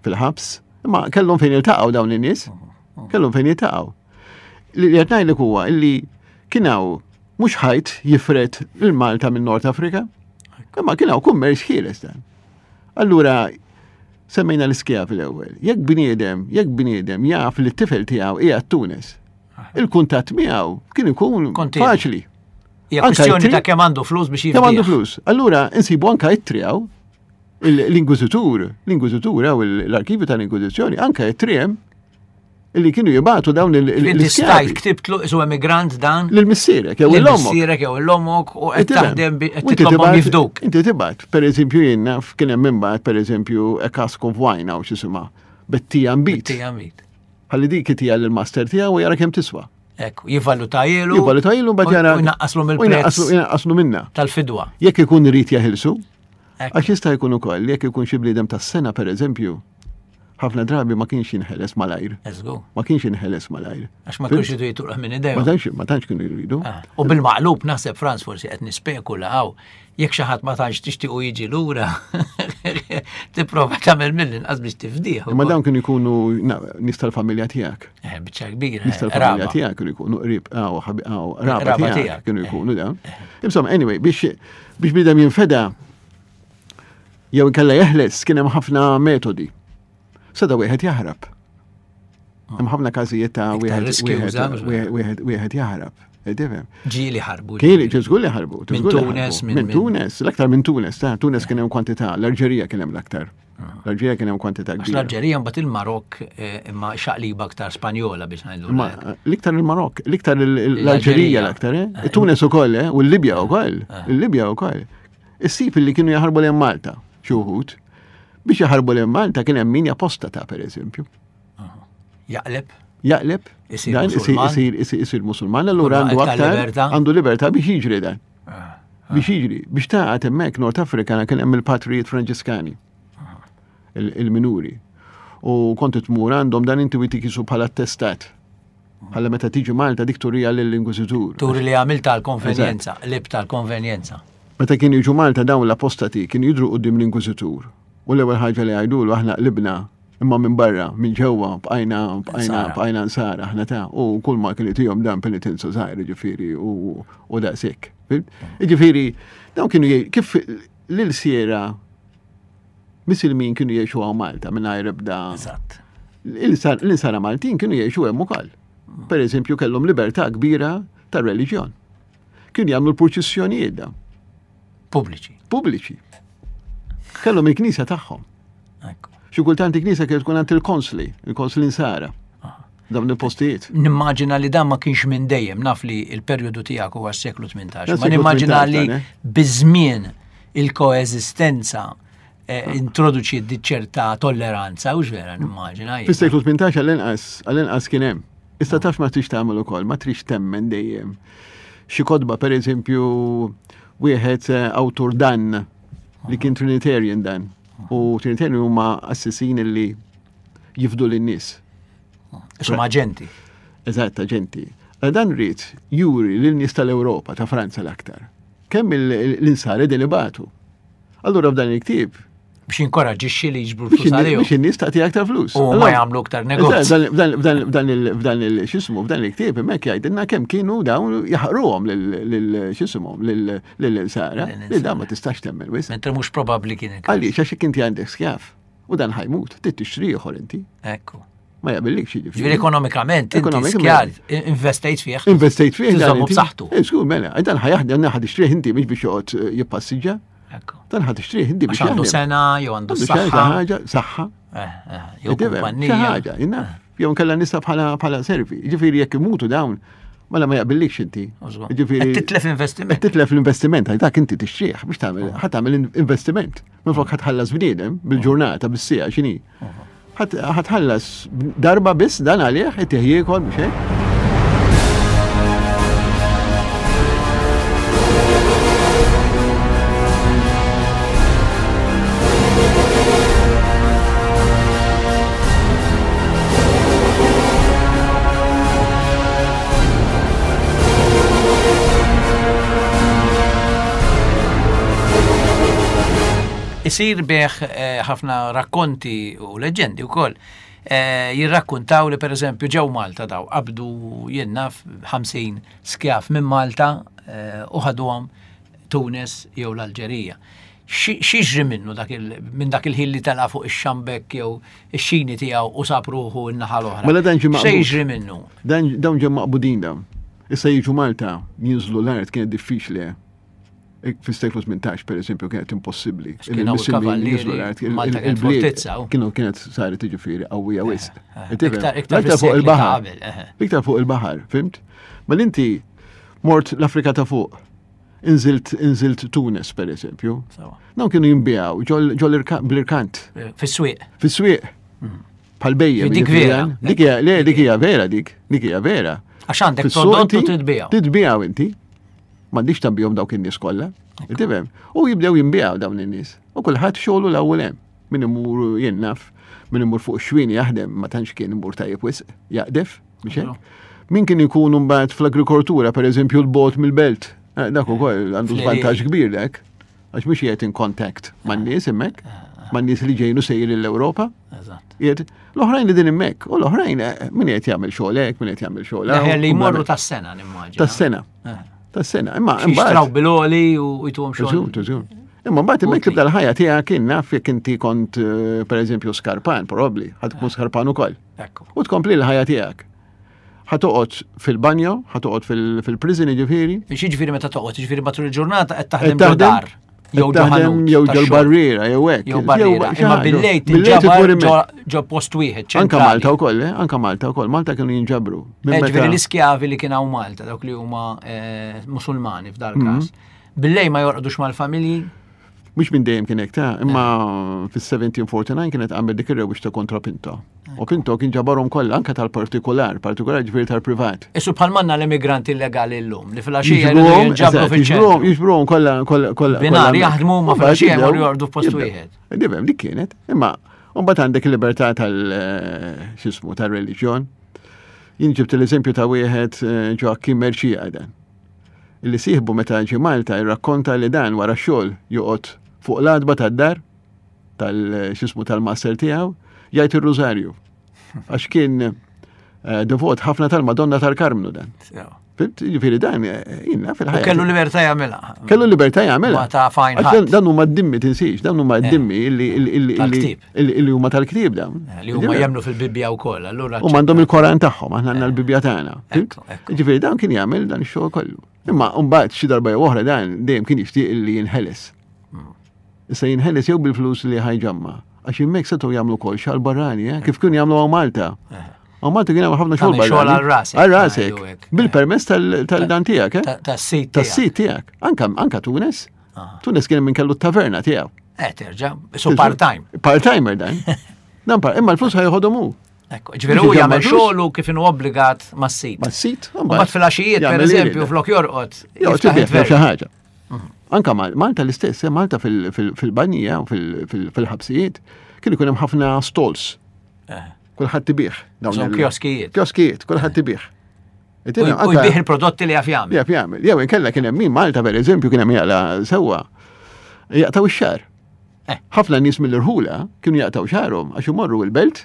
fil-ħabs. Imma kellhom fejn iltaqgħu dawn in-nies. Kellhom fejn jiltaqgħu. Li qed ngħidlek huwa illi kien hawn mhux ħajt jifred il-Malta minn Nord Afrika, imma kien hawn kummerċ ħieles dan. Allura semmejna l-iskjavi l-ewwel. Jekk bniedem, jekk bniedem jaf li t-tifel tiegħu qiegħed Tunis, il-kuntatt miegħu kien ikun faċli. Hija kwistjoni ta' kemm għandu flus biex Kemm għandu flus. Allura insibu anka ittri hawn l-inkwiżitur, l-inkwiżitur hawn l-arkivju tal-inkwiżizzjoni anke ittri hemm illi kienu jibatu dawn il-iskjavi. Ktibtlu isu emigrant dan? Lil missierek jew l-ommok. Missierek jew l-ommok u qed taħdem qed titlobhom jifduk. Inti tibgħat, pereżempju jien naf kien hemm imbagħad pereżempju a cask of wine hawn x'isimha. Bettija nbid. Bettija nbid. Ħalli dik itija lill-master tiegħu u jara kemm tiswa. Ekku, jivvaluta jilu. Jivvaluta jilu mbagħad jara. U jnaqqaslu mill-prezz. Jnaqqaslu minna. Tal-fidwa. Jekk ikun irid jeħilsu. Għax jista' jkun ukoll jekk ikun xi bniedem tas-sena pereżempju, ħafna drabi ma kienx jinħeles malajr. Ma kienx jinħeles malajr. Għax ma kienx jridu jiturqah minn idejhom. Ma tantx ma tantx kienu jridu. Ah, u bil-maqlub naħseb Franz forsi qed nispekula hawn jekk xi ħadd ma tantx tixtiequ jiġi lura, tipprova tagħmel mill-inqas biex tifdih. Imma dawn kienu jkunu nies tal-familja tiegħek. Eh, biċċa kbira. Nies tal-familja eh, tiegħek kienu jkunu qrib raba tiegħek kienu eh. jkunu dawn. Insomma, anyway, biex biex bidem jinfeda jew inkella jeħles kien hemm ħafna metodi. Sada wieħed jaħrab. Hemm ħafna każijiet ta' wieħed wieħed jaħrab. Eh, tifhem? Ġieli ħarbu. Kieli, żgur li ħarbu. Minn Tunes, minn Tunes, l-aktar minn Tunes, ta' Tunes kien hemm kwantità, l-Alġerija kien hemm l-aktar. Ah. L-Alġerija kien hemm kwantità kbira. L-Alġerija mbagħad il-Marok eh, imma xaqliba aktar Spanjola biex ngħidu. Ma l-iktar il-Marok, l-iktar l-Alġerija l-aktar, eh? Tunes ukoll, u l-Libja ukoll, il-Libja ukoll. Issib li kienu jaħarbu lejn Malta, xi wħud. Biex jaħarbu lejn Malta kien hemm min japostata pereżempju. Jaqleb? Jaqleb. Isir musulman. Isir musulman, allura għandu aktar għandu libertà biex jiġri dan. Ah, ah. Biex jiġri, biex taqgħod hemmhekk Nord Afrika kien hemm il-patrijiet Franġiskani. Ah. Il-minuri. U kont tmur għandhom dan inti witi kisu bħala attestat. Bħala meta tiġi Malta dik turija lill-Inkwiżitur. Turi li għamilt tal-konvenjenza, lib tal-konvenjenza. Meta kienu jiġu Malta dawn l-apostati kienu jidru quddiem l-Inkwiżitur. U l-ewwel ħaġa li jgħidulu aħna qlibna imma minn barra, minn ġewwa bqajna bqajna bqajna nsara aħna ta' u kull ma kien itihom dan penitenza żgħir ġifieri u daqshekk. Ġifieri dawn kienu kif lil siera Misilmin kienu jgħixu hawn Malta mingħajr ebda. Eżatt. L-insara Maltin kienu jgħixu hemm ukoll. Per eżempju kellhom libertà kbira ta' reliġjon. Kienu jagħmlu l-purċissjonijiet dawn. Pubbliċi. Pubbliċi. Kellhom il-knisja tagħhom. Xi kultant il-knisja kienet tkun għand il-konsli, il-konsli nsara. Ah. Dawn il-postijiet. Nimmaġina li dan ma kienx minn dejjem, naf li il-perjodu tiegħek huwa s-seklu 18, ma nimmaġina li eh? biż-żmien il-koeżistenza eh, introduċi ċerta tolleranza, u vera nimmaġina. Fis-seklu 18 għall-inqas, għall-inqas kien hemm. Issa taf ma trix tagħmel ukoll, ma trix temmen dejjem. Xi kotba pereżempju wieħed eh, awtur dan li kien Trinitarian dan. U Trinitarian huma assisin li jifdu lin-nies. Isum aġenti. Eżatt, aġenti. Dan rrid juri lin-nies tal-Ewropa, ta' Franza l-aktar. Kemm l-insar qegħdin ibatu. Allura f'dan il-ktieb biex jinkoraġixxi li jiġbru flus għalihom. Biex in-nies tagħti aktar flus. U ma jagħmlu aktar negozju. F'dan il-xismu, f'dan il-ktieb hemmhekk jgħidilna kemm kienu dawn jaħqruhom lil xismuhom lil-insara. Li dan ma tistax temmen wis. Mentre mhux probabbli kien. Għaliex għax inti għandek skjaf u dan ħajmut, trid tixtri ieħor inti. Ekku. Ma jaqbillikx jiġifieri. Ġifieri ekonomikament, ekonomikament investejt fih. Investejt fih. Tiżommu b'saħħtu. Eh, skur, mela, dan ħajaħdem ħad ixtrih inti mhux biex joqgħod eh, jippassiġġa. Dan ħad ixtrih inti biex għandu sena jew għandu saħħa. ħaġa, saħħa. Eh, jew kumpanija. Ħaġa, jinnaf. Jew nkella nista bħala bħala servi. Ġifieri jekk imutu dawn, mela ma jaqbillikx inti. Ġifieri titlef investiment. Titlef l-investiment, dak inti tixtrih biex tagħmel ħadd tagħmel investiment. Minflok ħadd ħallas bniedem bil-ġurnata bis-siegħa x'inhi. Ħatħallas darba biss dan għalih, itih jiekol biex hekk. Isir bih eh, ħafna rakkonti u leġendi wkoll eh, jirrakkuntaw li pereżempju ġew Malta daw qabdu jien naf 50 skjaf minn Malta eh, u ħaduhom Tunis jew l-Alġerija. X'jiġri minnu dak minn dak il-ħin li tela' fuq ix-xambek jew ix-xini tiegħu u sab ruħu n-naħa l-oħra? Mela dan ġie maqbud. X'jiġri minnu? Dan dawn ġew maqbudin dawn. Issa jiġu Malta, jinżlu l-art kienet diffiċli. Eh. Fis-seklu 18 per eżempju kienet impossibbli. Kienu l-art, il-bliet kienu kienet saret jiġifieri qawwija eh, wisq. Eh, iktar fuq il-baħar. Iktar fuq il-baħar, fimt? Ma l-inti mort l-Afrika ta' fuq Inżilt inżilt Tunis per eżempju. Dawn kienu jinbijaw ġol bl-irkant. Eh, fis-swieq. Fis-swieq. Mm. Pal bejjem. Dik vera. Dik hija le dik hija vera dik, dik hija vera. Għax għandek prodott u titbijaw. Titbijaw inti. M'għandix tabbihom dawk in-nies kollha. Tifhem? U jibdew jinbijaw dawn in-nies. U kulħadd xogħlu l-ewwel hemm. Min imur jien naf, min imur fuq xwien jaħdem ma tantx kien imur tajjeb wisq, jaqdef. Biex hekk? Min kien ikun mbagħad fl-agrikoltura, pereżempju l-bot mill-belt, eh, dak ukoll għandu żvantaġġ kbir dak, għax mhux qiegħed in contact man-nies hemmhekk, eh, eh. man-nies li ġejnu sejrin l-Ewropa. Qiegħed l-oħrajn li din hemmhekk, u l-oħrajn min qed jagħmel xogħol hekk, min qed jagħmel xogħol hawn. Li jmorru tas-sena nimmaġina. Tas-sena. Tas-sena. Imma imbagħad. Xtraw bil-oli u jtuhom xogħol. Imma mbagħad hemmhekk tibda l-ħajja tiegħek kien naf jekk inti kont pereżempju skarpan, probabbli, ħadd tkun skarpan ukoll. U tkompli l-ħajja tiegħek. Ħa toqgħod fil-banjo, ħa toqgħod fil-prison jiġifieri. Jiġifieri meta toqgħod, jiġifieri matul il-ġurnata qed taħdem ġo dar. Jew ġo ħanut. Jew ġo barriera, jew hekk. Jew barriera. Imma bil-lejl tinġabar ġo post wieħed. Anka Malta wkoll, eh? anka Malta wkoll. Malta kienu jinġabru. Eh, ġifieri l-iskjavi li kien hawn Malta, dawk li huma eh, Musulmani f'dal mhm. każ. Bil-lejl ma jorqdux mal-familji? Mhux minn dejjem kien hekk ta' imma fis-1749 kienet għamel dik ir-rewwixta kontra Pinto. U Pinto kien ġabarhom kollha anke tal-partikular, partikular ġifieri tal-privat. Isu bħal manna l-immigranti illegali llum li fil-għaxija jinġabru fiċ-ċentru. Jiġbruhom kollha kollha kollha. Binar jaħdmu ma fil-għaxija jmorru jorqdu f'post wieħed. Dibem dik kienet, imma mbagħad għandek il-libertà tal-xismu eh, tal-reliġjon. Jien ġibt l-eżempju ta' wieħed eh, Joachim Merċija dan. Illi sieħbu meta ġie Malta jirrakkonta li dan wara x-xogħol joqgħod fuq l-għatba tad-dar tal-xismu tal-master tiegħu jgħid ir-rużarju. Għax kien eh, devot ħafna tal-Madonna tal-Karmnu dan. Fimt? Ġifieri dan eh, jinna fil-ħajja. Kellu libertà jagħmilha. Kellu libertà jagħmilha. Ma ta' fajn. Dan huma d-dimmi tinsiex, dan huma eh, d-dimmi illi huma tal-ktieb dawn. Eh, li huma jemmnu fil-Bibbja wkoll, allura. U m'għandhom il-Koran tagħhom, aħna għandna l-Bibbja tagħna. Ġifieri dan kien jagħmel dan ix-xogħol kollu. Imma mbagħad xi darba jew oħra dan dejjem kien jixtieq li jinħeles. Hmm. Issa jinħeles jew bil-flus li ħajġamma. Għax hemmhekk setgħu jagħmlu kol xal barrani, eh? kif kienu jagħmlu hawn Malta. Eh. Hawn Malta kien hemm ħafna xogħol barrani. Xogħol għal rasek. Għal rasek. Bil-permess tal-dan tiegħek, eh? Tas-sit. Tas-sit tiegħek. Anka anka Tunis. Ah. Tunis kien minn kellu t-taverna tiegħu. Eh, terġa, so part-time. Part-timer dan. Dan par, imma l-flus ħajħodhom hu. Ekku, ġifieri hu jagħmel xogħlu kif inhu obbligat mas-sit. Mas-sit, u mbagħad fil-għaxijiet pereżempju flok jorqod. Jiftaħ xi ħaġa. Mhm. Anka Malta l-istess, eh, Malta fil-banija u fil-ħabsijiet kien ikun hemm ħafna stalls. Eh. Kulħadd ibih. Dawn kioskijiet. Kioskijiet, kulħadd ibih. U jbih il-prodotti li jaf jagħmel. Jaf jagħmel. Jew inkella kien hemm min Malta pereżempju kien hemm jaqla sewwa. Jaqtaw ix-xar. Eh. Ħafna nies mill-irħula kienu jaqtaw xarhom għax imorru l-belt,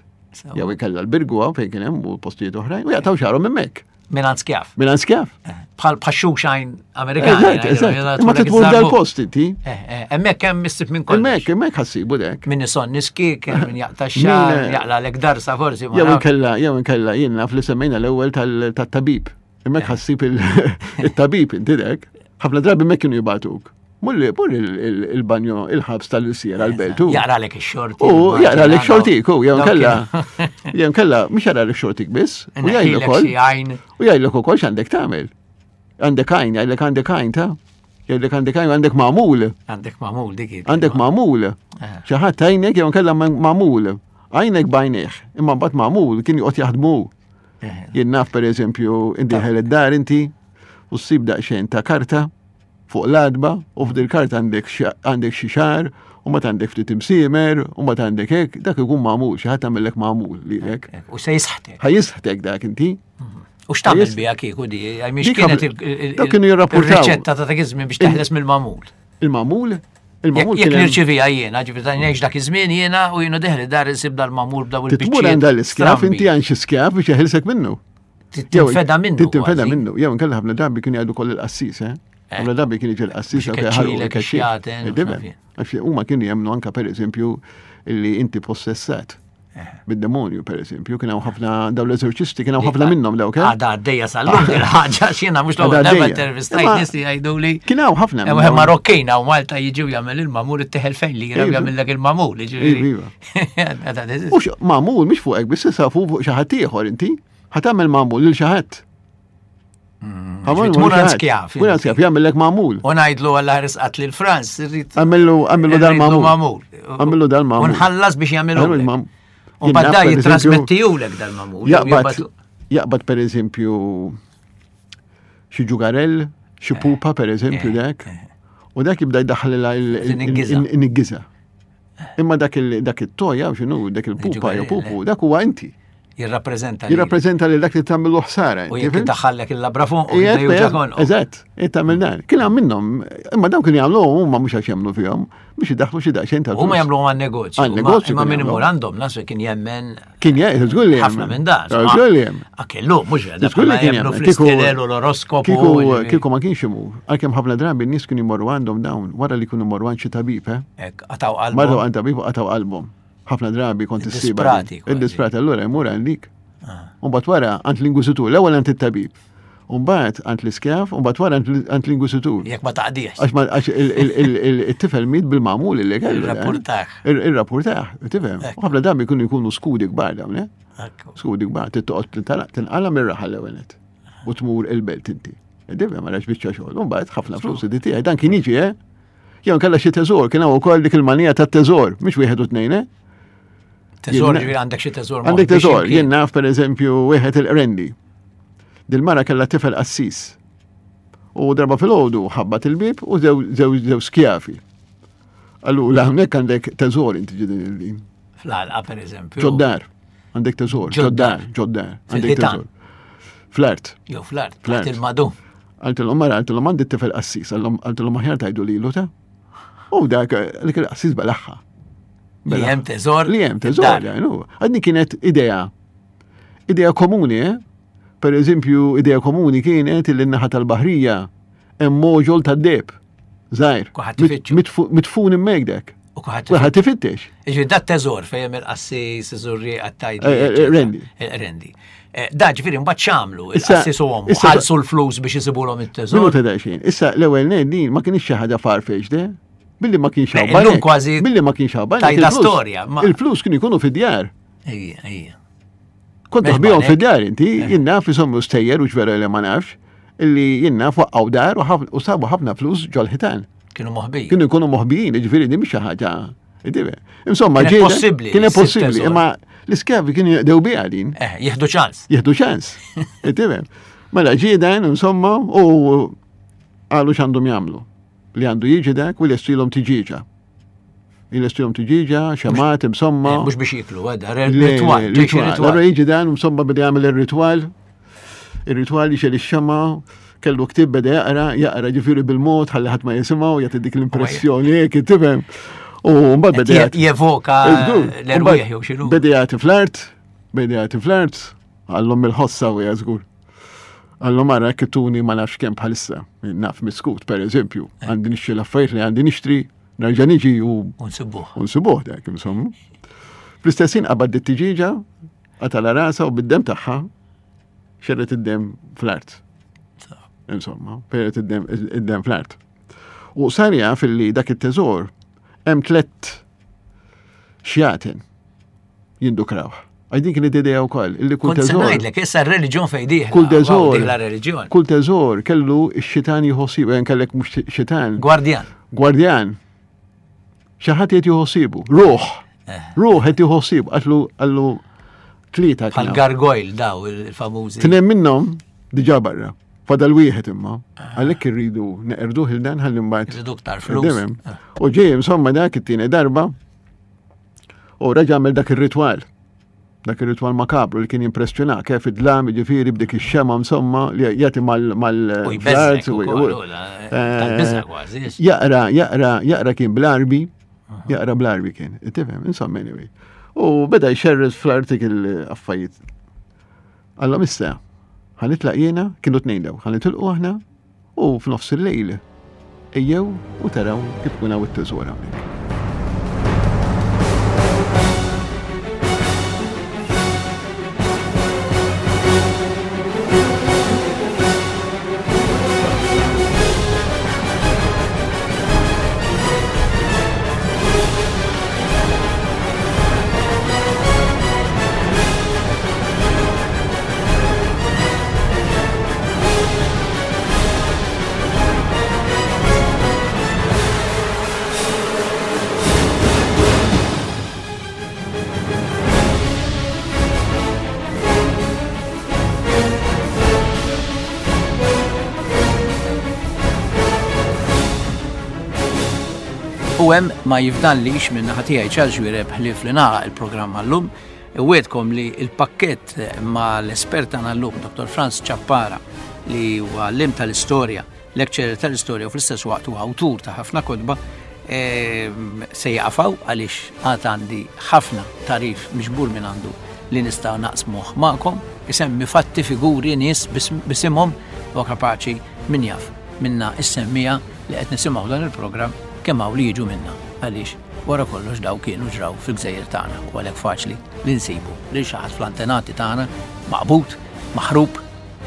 jew inkella l-birgu fejn kien hemm u postijiet oħrajn, u jaqtaw xarhom hemmhekk. Minn skjaf. Minn skjaf. Eh, bħal bħal xuxajn Amerikan. Eżatt, eżatt. Ma titmur dal-post inti. Eh, eh, hemmhekk hemm issib minn kollox. Hemmhekk, hemmhekk ħassibu dek. Min ison niski, min jaqta' xar, jaqla lek darsa forsi. Jew inkella, jew inkella jien naf li semmejna l-ewwel tat-tabib. Hemmhekk ħassib il-tabib inti dek. Ħafna drabi hemmhekk kienu jibatuk. Mulli, mur il-banjo, il-ħabs tal-siera l-beltu. Jaqra lek ix-xorti. U jaqra lek xortik, u jew kella. Jew kella, mhux jaqra lek xortik biss. U jgħidlek ukoll. U jgħidlek ukoll x'għandek tagħmel. Għandek għajn, jgħidlek għandek għajn ta' jgħidlek għandek għajn, għandek magħmul. Għandek magħmul dik. Għandek magħmul. Eh. Xi ħadd għajnek jew kella magħmul. Għajnek bajnieh, imma mbagħad magħmul kien joqgħod jaħdmu. Eh. Jien naf pereżempju inti ħel id-dar inti u ssib daqsxejn ta' karta fuq l-għatba u f'dil karta għandek għandek xi xahar u ma għandek ftit imsiemer u ma għandek hekk, dak ikun magħmul, xi ħadd għamillek magħmul lilek. U se jisħtek. Ħa jisħtek dak inti. Mhm. U x'tagħmel biha kieku di? Mhix kienet kienu jirrapportaw. Il-riċetta ta' dak iż-żmien biex teħles mill-magħmul. Il-magħmul? Il-magħmul Jekk nirċivija jiena, ġifieri ta' ngħix dak iż-żmien jiena u jiena deħli dar insib dal-magħmul b'daw il-biċċiet. Tmur għand dal-iskjav inti għand xi skjav biex jeħilsek minnu. Tinfeda minnu. Tinfeda minnu. Jew inkella ħafna drabi kien jgħidu koll il-qassis, eh? eh. Ħafna drabi kien jiġi l-qassis jew Għax huma kienu jemmnu anka pereżempju li inti possessat. Eh. Bid-demonju, per eżempju, kien hawn ħafna dawn l-eżorċisti, kien hawn ħafna minnhom dawk. Eh? Għada għaddejja sal-lum il-ħaġa x'jiena mhux l-ewwel darba intervistajt nies li jgħidu li. Kien hawn ħafna. Hemm Marokkin hawn Malta jiġu jagħmel il-mamur it-teħel fejn li jiraw jagħmellek il-mamur. Iva. Mhux mamur mhux fuqek biss issa fuq xi ħadd ieħor inti. Ħa tagħmel mamul lil xi ħadd. Tmur għand skjaf. Mur għand skjaf, jagħmellek magħmul. U ngħidlu għalla risqat lil Franz, irrid. Għamillu għamillu dal-magħmul. Għamillu dal-magħmul. U nħallas biex jagħmillu. U badda jitrasmettijulek dal-magħmul. Jaqbad, jaqbad per eżempju xi ġugarell, xi eh, pupa per eżempju eh, dak. Eh. U dak jibda jdaħħal il-niggiża. Imma dak il-toja, xinu, dak il-pupa, jew pupu, dak huwa inti. Jirrappreżenta. Jirrappreżenta li dak li tagħmlu ħsara. U jekk daħħallek il-labra fuq u Eżatt, tagħmel dan. Kien hemm minnhom, imma dawn kienu jagħmlu huma mhux għax jagħmlu fihom, biex idaħħlu xi daqsxejn tal. Huma jagħmlu għan negozju. Għan negozju. Imma min imur għandhom nasu kien jemmen. Kien jemmen, żgur li Ħafna minn dan. Żgur li jemmen. Akellu, mhux għadha. Żgur li kien jemmen. Fl-istilel u l-oroskopu. Kieku ma kienx imur. Għalkemm ħafna drabi n-nies kienu jmorru għandhom dawn wara li kienu jmorru għand xi tabib, eh? Qataw qalbhom. Marru għand tabib u qataw qalbhom. Ħafna drabi kont issib. Disprati. Id-disprati allura jmur għandik. Ah. Umbagħad wara għand l-ingwiżitur, l-ewwel għand it-tabib. Umbagħad għand l-iskjav, umbagħad wara għand l-ingwiżitur. Jekk ma taqdiex. Għax it-tifel miet bil-magħmul li kellu. Ir-rapportaħ. Ir-rapportaħ, tifhem. Ħafna drabi jkunu jkunu skudi kbar dawn, eh? Skudi kbar, tittoqgħod tinqala mir-raħal l-ewwel U tmur il-belt inti. Dibem għalax biċċa xogħol. Umbagħad ħafna flus id tiegħi dan kien jiġi, eh? Jew kellha xi teżor, kien hawn ukoll dik il-manija tat-teżor, mhux wieħed u tnejn, eh? Teżor ġifieri għandek xi teżor. Għandek teżor, jien naf pereżempju wieħed il-qrendi. Dil-mara kellha tifel qassis. U darba fil-ħodu ħabbat il-bib u zew skjafi. Allura hawnhekk għandek teżor inti ġidin il-din. Fl-għalqa pereżempju. Ġoddar. Għandek teżor. Ġoddar, ġoddar. Għandek teżor. Fl-art. Jew fl-art, fl-art il-madu. Għaltilhom mara, għaltilhom għandi t-tifel qassis, għaltilhom aħjar tajdu lilu ta' U dak dik il-qassis belaħħa. Li hemm teżor. Li hemm teżor, Għadni kienet idea. Idea komuni, eh? Per eżempju, idea komuni kienet li n-naħa tal-baħrija hemm moġol tad-deb. Żgħir. Mitfun immek dak. U kuħat ifittex. Iġi, dat teżor fejn il-qassis, iżurri għattajt. Eh, eh, eh, rendi. Rendi. Da ġifieri mbagħad x'għamlu il-qassis u ommu, ħallsu l-flus biex isibulhom it-teżor. Minuta daqsxejn. Issa l-ewwel ngħid din ma kienx xi ħaġa farfetched, eh? Billi ma kienx hawn. Illum kważi. Billi ma kienx hawn. Tajda storja. Il-flus kienu jkunu fid-djar. Ejja, ejja. Kont taħbihom fid-dar inti, eh. jien naf isommu stejjer u ġvera li ma nafx, illi jien naf waqqgħu dar u sabu ħafna flus ġol-ħitan. Kienu moħbijin. Kienu jkunu moħbijin, ġifieri din mhix xi ħaġa. Insomma, kien possibbli. Kien possibbli, imma l-iskjavi kienu jaqdew biha din. Eh, jieħdu ċans. Jieħdu ċans. Mela ġiedan, insomma, u qalu x'għandhom jagħmlu. Li għandu jiġi dak u l-estilhom tiġiġa. Jilestihom tiġiġa, xemat, insomma. Eh, mhux biex jiklu, għedha, eh, ritwal. Allora jiġi dan, insomma, beda jagħmel ir-ritwal. Ir-ritwal jixel ix-xema, kellu ktib beda jaqra, jaqra ġifieri bil-mod ħalli ħadd ma jisimgħu, jagħti dik l-impressjoni hekk tifhem. U mbagħad beda jevoka l-erwieħ jew x'inhu. Beda jagħti fl-art, beda jagħti fl-art, għallhom il-ħossa u żgur. Għallhom ara kituni ma nafx kemm bħalissa, naf miskut per eżempju, eh. għandi nixtri l-affarijiet li għandi nixtri, Nerġa' niġi u. Unsibuh. Unsibuh dak, insomma. Fl-istess ħin qabad dit-tiġiġa, qatala rasa u bid-dem tagħha xerret id-dem fl-art. Insomma, xerret id-dem fl-art. U sar jaf illi dak it-teżor hemm tlett xjaten jindukraw. Għaj din kienet idea wkoll, illi kull teżor. Ngħidlek issa r-reliġjon fejn dieħla. Kull teżor. Kull teżor kellu x-xitan jħossibu, jen kellek mhux xitan. Gwardjan. Gwardjan. Xi ħadd qed jħossibu. Ruħ. Eh. Ruħ qed jħossibu, għatlu għallu tlieta. Bħal gargoyle daw il-famużi. Tnejn minnhom diġà barra. Fadal wieħed imma. Ah. Għalhekk irridu neqerduh il-dan ħalli mbagħad. Irridu ktar flus. Ah. U ġej insomma dak it-tieni darba U reġa' għamel dak ir-ritwal. Dak ir-ritwal makabru li kien jimpressjonak kif id-dlam, jiġifieri b'dik ix-xema insomma li jagħti mal mal Jaqra, jaqra, jaqra kien bl-arbi, jaqra bl-arbi kien, tifhem, insomma anyway. U beda jxerres fl-artik il-affajiet. Alla issa, ħanitlaq jiena, kienu tnejn daw, ħanitilqu aħna, U f'nofs il-lejl, ejjew u taraw kif ikun hawn it-teżor hawnhekk. U hemm ma jifdallix minn naħa tiegħi Charles Xuereb ħlief li nagħlaq il-programm għallum. Iwegħedkom li l-pakkett ma' l-espert tagħna llum, Dr. Franz Ciappara, li huwa għalliem tal-istorja, lecturer tal-istorja u fl-istess waqt huwa awtur ta' ħafna kotba, ehm, se jaqfaw għaliex għad għandi ħafna tarif miġbur minn għandu li nista' naqsmuh magħkom, isemmi fatti, figuri, nies bisimhom u kapaċi min jaf minna is-semmija li qed nisimgħu dan il-programm kemm hawn li jiġu minna għaliex Wara kollox dawn kienu ġraw fil-gżejjer tagħna u għalhekk faċli li nsibu lil xi ħadd fl-antenati tagħna maqbud, maħrub,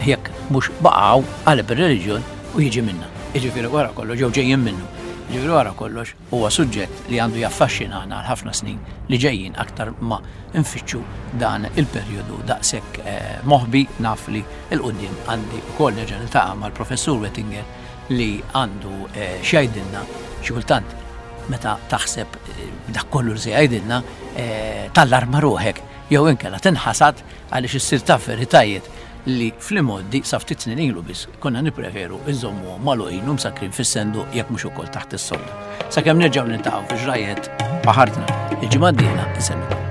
jekk mhux baqgħu qalb ir-reliġjon u jiġi minna. Jiġifieri wara kollox jew ġejjin minnu. Jiġifieri wara kollox huwa suġġett li għandu jaffaxxinana għal ħafna snin li ġejjin aktar ma nfittxu dan il-perjodu daqshekk eh, moħbi naf li l-quddiem għandi wkoll nerġa' niltaqa' mal-Professur Wettinger li għandu eh, x'jgħidilna xi kultant meta taħseb eh, dak kollu li se jgħidilna eh, tallarma ruħek jew inkella tinħasad għaliex issir taf veritajiet li fl-imoddi sa ftit snin ilu biss konna nippreferu iżommu magħluqin u msakrin fis-senduq jekk mhux ukoll taħt is-sodda. Sakemm nerġgħu niltaqgħu fi ġrajiet baħartna il-ġimgħa d-dieħla insellmilkom.